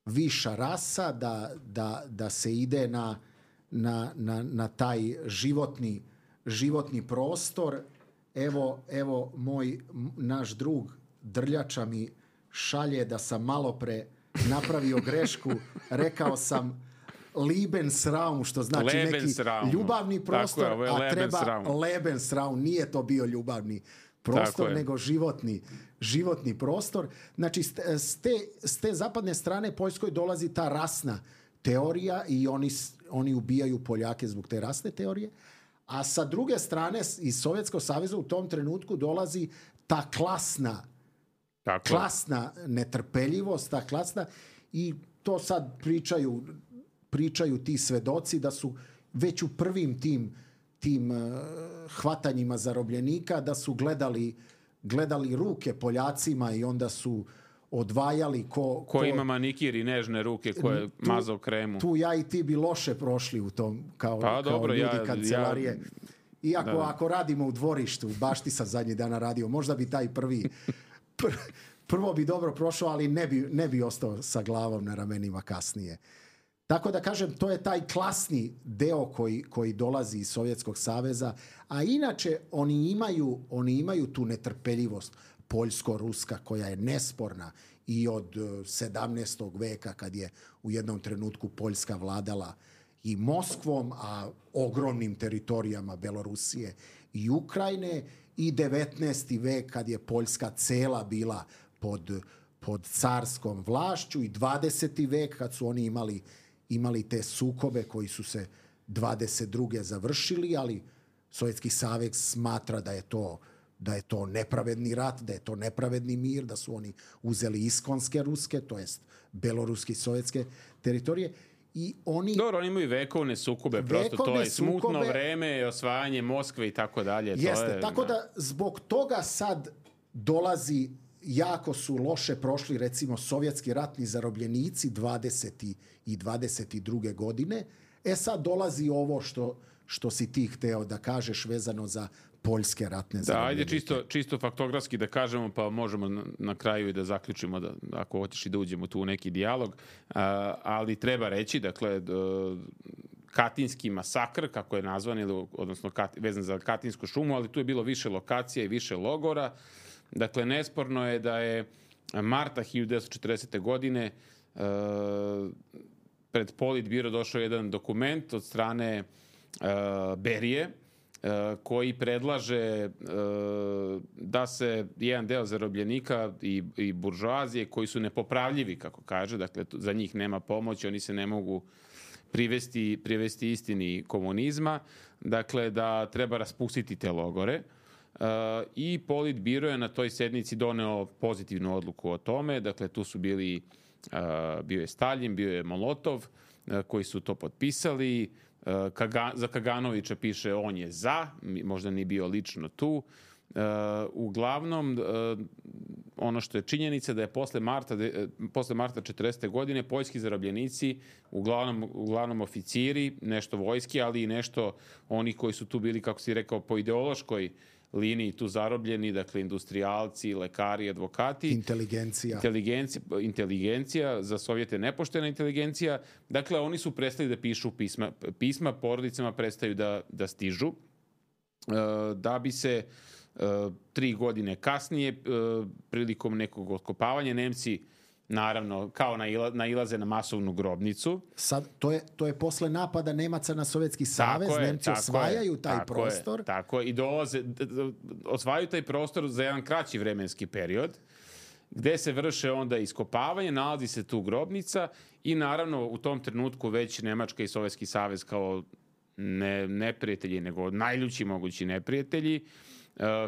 viša rasa, da, da, da se ide na, na, na, na taj životni, životni prostor. Evo, evo moj, naš drug Drljača mi šalje da sam malo pre napravio grešku. Rekao sam Lebensraum, što znači Lebensraum. Neki ljubavni prostor, je, a treba Lebensraum. Nije to bio ljubavni prostor, nego životni, životni prostor. Znači, s te, s te zapadne strane Poljskoj dolazi ta rasna teorija i oni, oni ubijaju Poljake zbog te rasne teorije. A sa druge strane, iz Sovjetskog saveza u tom trenutku dolazi ta klasna, Tako. klasna netrpeljivost, ta klasna, i to sad pričaju pričaju ti svedoci da su već u prvim tim, tim uh, hvatanjima zarobljenika da su gledali, gledali ruke Poljacima i onda su odvajali ko... Ko, ko ima manikir i nežne ruke koje tu, mazao kremu. Tu ja i ti bi loše prošli u tom kao, pa, kao dobro, ljudi ja, kancelarije. Ja, Iako da. Ako radimo u dvorištu, baš ti sam zadnji dana radio, možda bi taj prvi... Pr, prvo bi dobro prošao, ali ne bi, ne bi ostao sa glavom na ramenima kasnije. Tako da kažem, to je taj klasni deo koji, koji dolazi iz Sovjetskog saveza, a inače oni imaju, oni imaju tu netrpeljivost poljsko-ruska koja je nesporna i od sedamnaestog veka kad je u jednom trenutku Poljska vladala i Moskvom, a ogromnim teritorijama Belorusije i Ukrajine, i devetnaesti vek kad je Poljska cela bila pod, pod carskom vlašću, i dvadeseti vek kad su oni imali imali te sukobe koji su se dvadeset druge završili, ali Sovjetski savez smatra da je to da je to nepravedni rat, da je to nepravedni mir, da su oni uzeli iskonske ruske, to jest beloruski sovjetske teritorije. I oni... Dobro, oni imaju vekovne sukobe, prosto vekovne to je smutno sukobe, vreme, osvajanje Moskve i tako dalje. Jeste, to je, tako da zbog toga sad dolazi, jako su loše prošli recimo sovjetski ratni zarobljenici dvadesete i dvadeset druge godine. E sad dolazi ovo što, što si ti hteo da kažeš vezano za poljske ratne zarobljenike. Da, ajde čisto, čisto faktografski da kažemo, pa možemo na, na kraju i da zaključimo, da, ako hoćeš i da uđemo tu u neki dijalog. A, ali treba reći, dakle, Katinski masakr, kako je nazvan, ili, odnosno kat, vezan za Katinsku šumu, ali tu je bilo više lokacija i više logora. Dakle, nesporno je da je marta hiljadu devetsto četrdesete godine uh, pred Politbiro došao jedan dokument od strane uh, Berije, uh, koji predlaže uh, da se jedan deo zarobljenika i, i buržoazije koji su nepopravljivi, kako kaže, dakle, za njih nema pomoći, oni se ne mogu privesti, privesti istini komunizma, dakle, da treba raspustiti te logore. Uh, i Politbiro je na toj sednici doneo pozitivnu odluku o tome. Dakle, tu su bili, uh, bio je Staljin, bio je Molotov, uh, koji su to potpisali. Uh, Kaga, za Kaganovića piše on je za, možda nije bio lično tu. Uh, uglavnom, uh, ono što je činjenica da je posle marta, de, posle marta četrdesete godine poljski zarobljenici, uglavnom, uglavnom oficiri, nešto vojski, ali i nešto oni koji su tu bili, kako si rekao, po ideološkoj liniji tu zarobljeni, dakle industrijalci, lekari, advokati. Inteligencija. Inteligencija, inteligencija, za Sovjete nepoštena inteligencija. Dakle, oni su prestali da pišu pisma. Pisma porodicama prestaju da, da stižu. Da bi se tri godine kasnije, prilikom nekog otkopavanja, Nemci naravno, kao nailaze na masovnu grobnicu. Sad, to je, to je posle napada Nemaca na Sovjetski savez, tako Nemci je, osvajaju je, taj tako prostor. Je, tako je, i dolaze, osvajaju taj prostor za jedan kraći vremenski period, gde se vrše onda iskopavanje, nalazi se tu grobnica i naravno u tom trenutku već Nemačka i Sovjetski savez kao ne, neprijatelji, nego najljući mogući neprijatelji,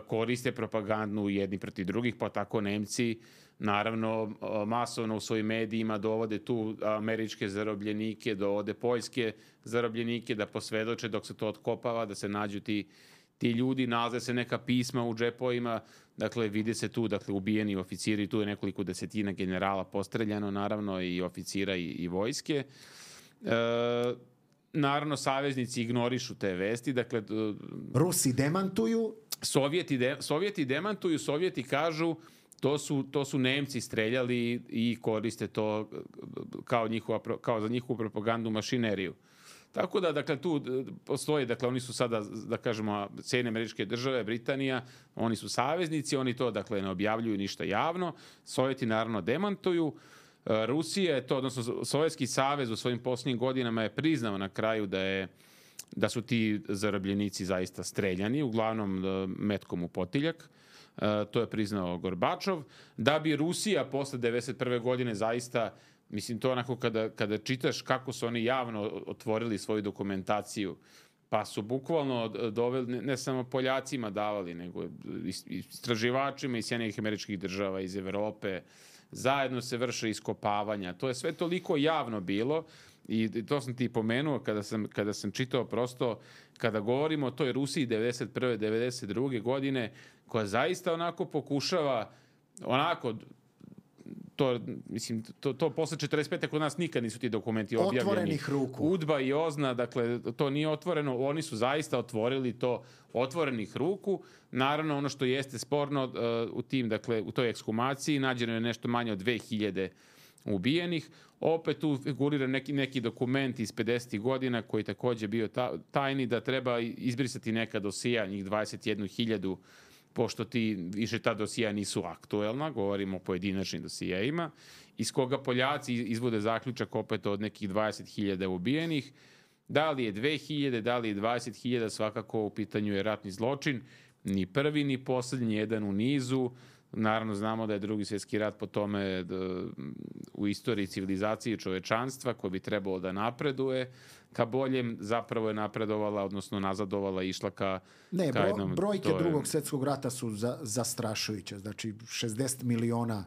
koriste propagandnu jedni protiv drugih, pa tako Nemci naravno masovno u svojim medijima dovode tu američke zarobljenike, dovode poljske zarobljenike da posvedoče dok se to otkopava, da se nađu ti, ti ljudi, nalaze se neka pisma u džepovima, dakle vide se tu, dakle ubijeni oficiri, tu je nekoliko desetina generala postreljano, naravno i oficira i, i vojske. E, naravno saveznici ignorišu te vesti, dakle Rusi demantuju. Sovjeti, de, Sovjeti demantuju, Sovjeti kažu To su, to su Nemci streljali i koriste to kao, njihova, kao za njihovu propagandnu mašineriju. Tako da, dakle, tu postoji, dakle, oni su sada, da kažemo, Sjedinjene Američke Države, Britanija, oni su saveznici, oni to, dakle, ne objavljuju ništa javno. Sovjeti, naravno, demantuju. Rusija je to, odnosno, Sovjetski savez u svojim posljednjim godinama je priznao na kraju da je da su ti zarobljenici zaista streljani, uglavnom metkom u potiljak. Uh, to je priznao Gorbačov, da bi Rusija posle devedeset prve godine zaista, mislim to onako kada, kada čitaš kako su oni javno otvorili svoju dokumentaciju, pa su bukvalno doveli, ne, ne samo Poljacima davali, nego istraživačima iz Sjedinjenih Američkih Država, iz Evrope, zajedno se vrše iskopavanja, to je sve toliko javno bilo. I to sam ti pomenuo kada sam, kada sam čitao prosto, kada govorimo o toj Rusiji devedeset prve devedeset druge godine, koja zaista onako pokušava, onako, to, mislim, to, to posle četrdeset pete kod nas nikad nisu ti dokumenti objavljeni. Otvorenih ruku. Udba i Ozna, dakle, to nije otvoreno, oni su zaista otvorili to otvorenih ruku. Naravno, ono što jeste sporno uh, u tim, dakle, u toj ekshumaciji nađeno je nešto manje od dve hiljade ubijenih. Opet tu figurira neki, neki dokument iz pedesetih godina koji takođe bio ta, tajni, da treba izbrisati neka dosija, njih dvadeset jednu hiljadu, pošto ti više ta dosija nisu aktuelna, govorimo o pojedinačnim dosijejima, iz koga Poljaci izvode zaključak opet od nekih dvadeset hiljada ubijenih. Da li je dve hiljade, da li je dvadeset hiljada, svakako u pitanju je ratni zločin, ni prvi ni poslednji, jedan u nizu. Naravno, znamo da je Drugi svjetski rat po tome da, u istoriji civilizacije čovečanstva koji bi trebalo da napreduje ka boljem, zapravo je napredovala, odnosno nazadovala, išla ka, ne, ka bro, jednom... brojke je... Drugog svjetskog rata su za, zastrašujuće. Znači, šezdeset miliona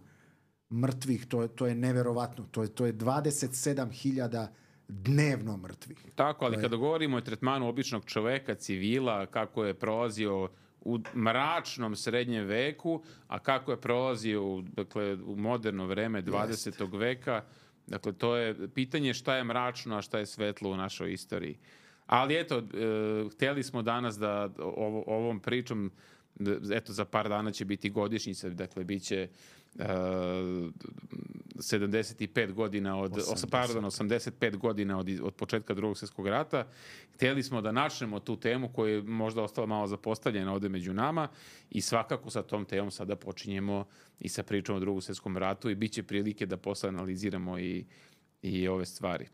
mrtvih, to je, to je neverovatno. To je, to je dvadeset sedam hiljada dnevno mrtvih. Tako, ali je... kada govorimo o tretmanu običnog čoveka, civila, kako je prolazio u mračnom srednjem veku, a kako je prolazio u, dakle, u moderno vreme dvadesetog Jest. veka. Dakle, to je pitanje šta je mračno, a šta je svetlo u našoj istoriji. Ali eto, e, hteli smo danas da ovo, ovom pričom, da, eto, za par dana će biti godišnjica, dakle, bit će e, sedamdeset pet godina od, osamdeset. Pardon, osamdeset pet godina od, od početka Drugog svjetskog rata. Hteli smo da načnemo tu temu koja je možda ostala malo zapostavljena ovde među nama i svakako sa tom temom sada počinjemo i sa pričom o Drugom svjetskom ratu i bit će prilike da posle analiziramo i, i ove stvari.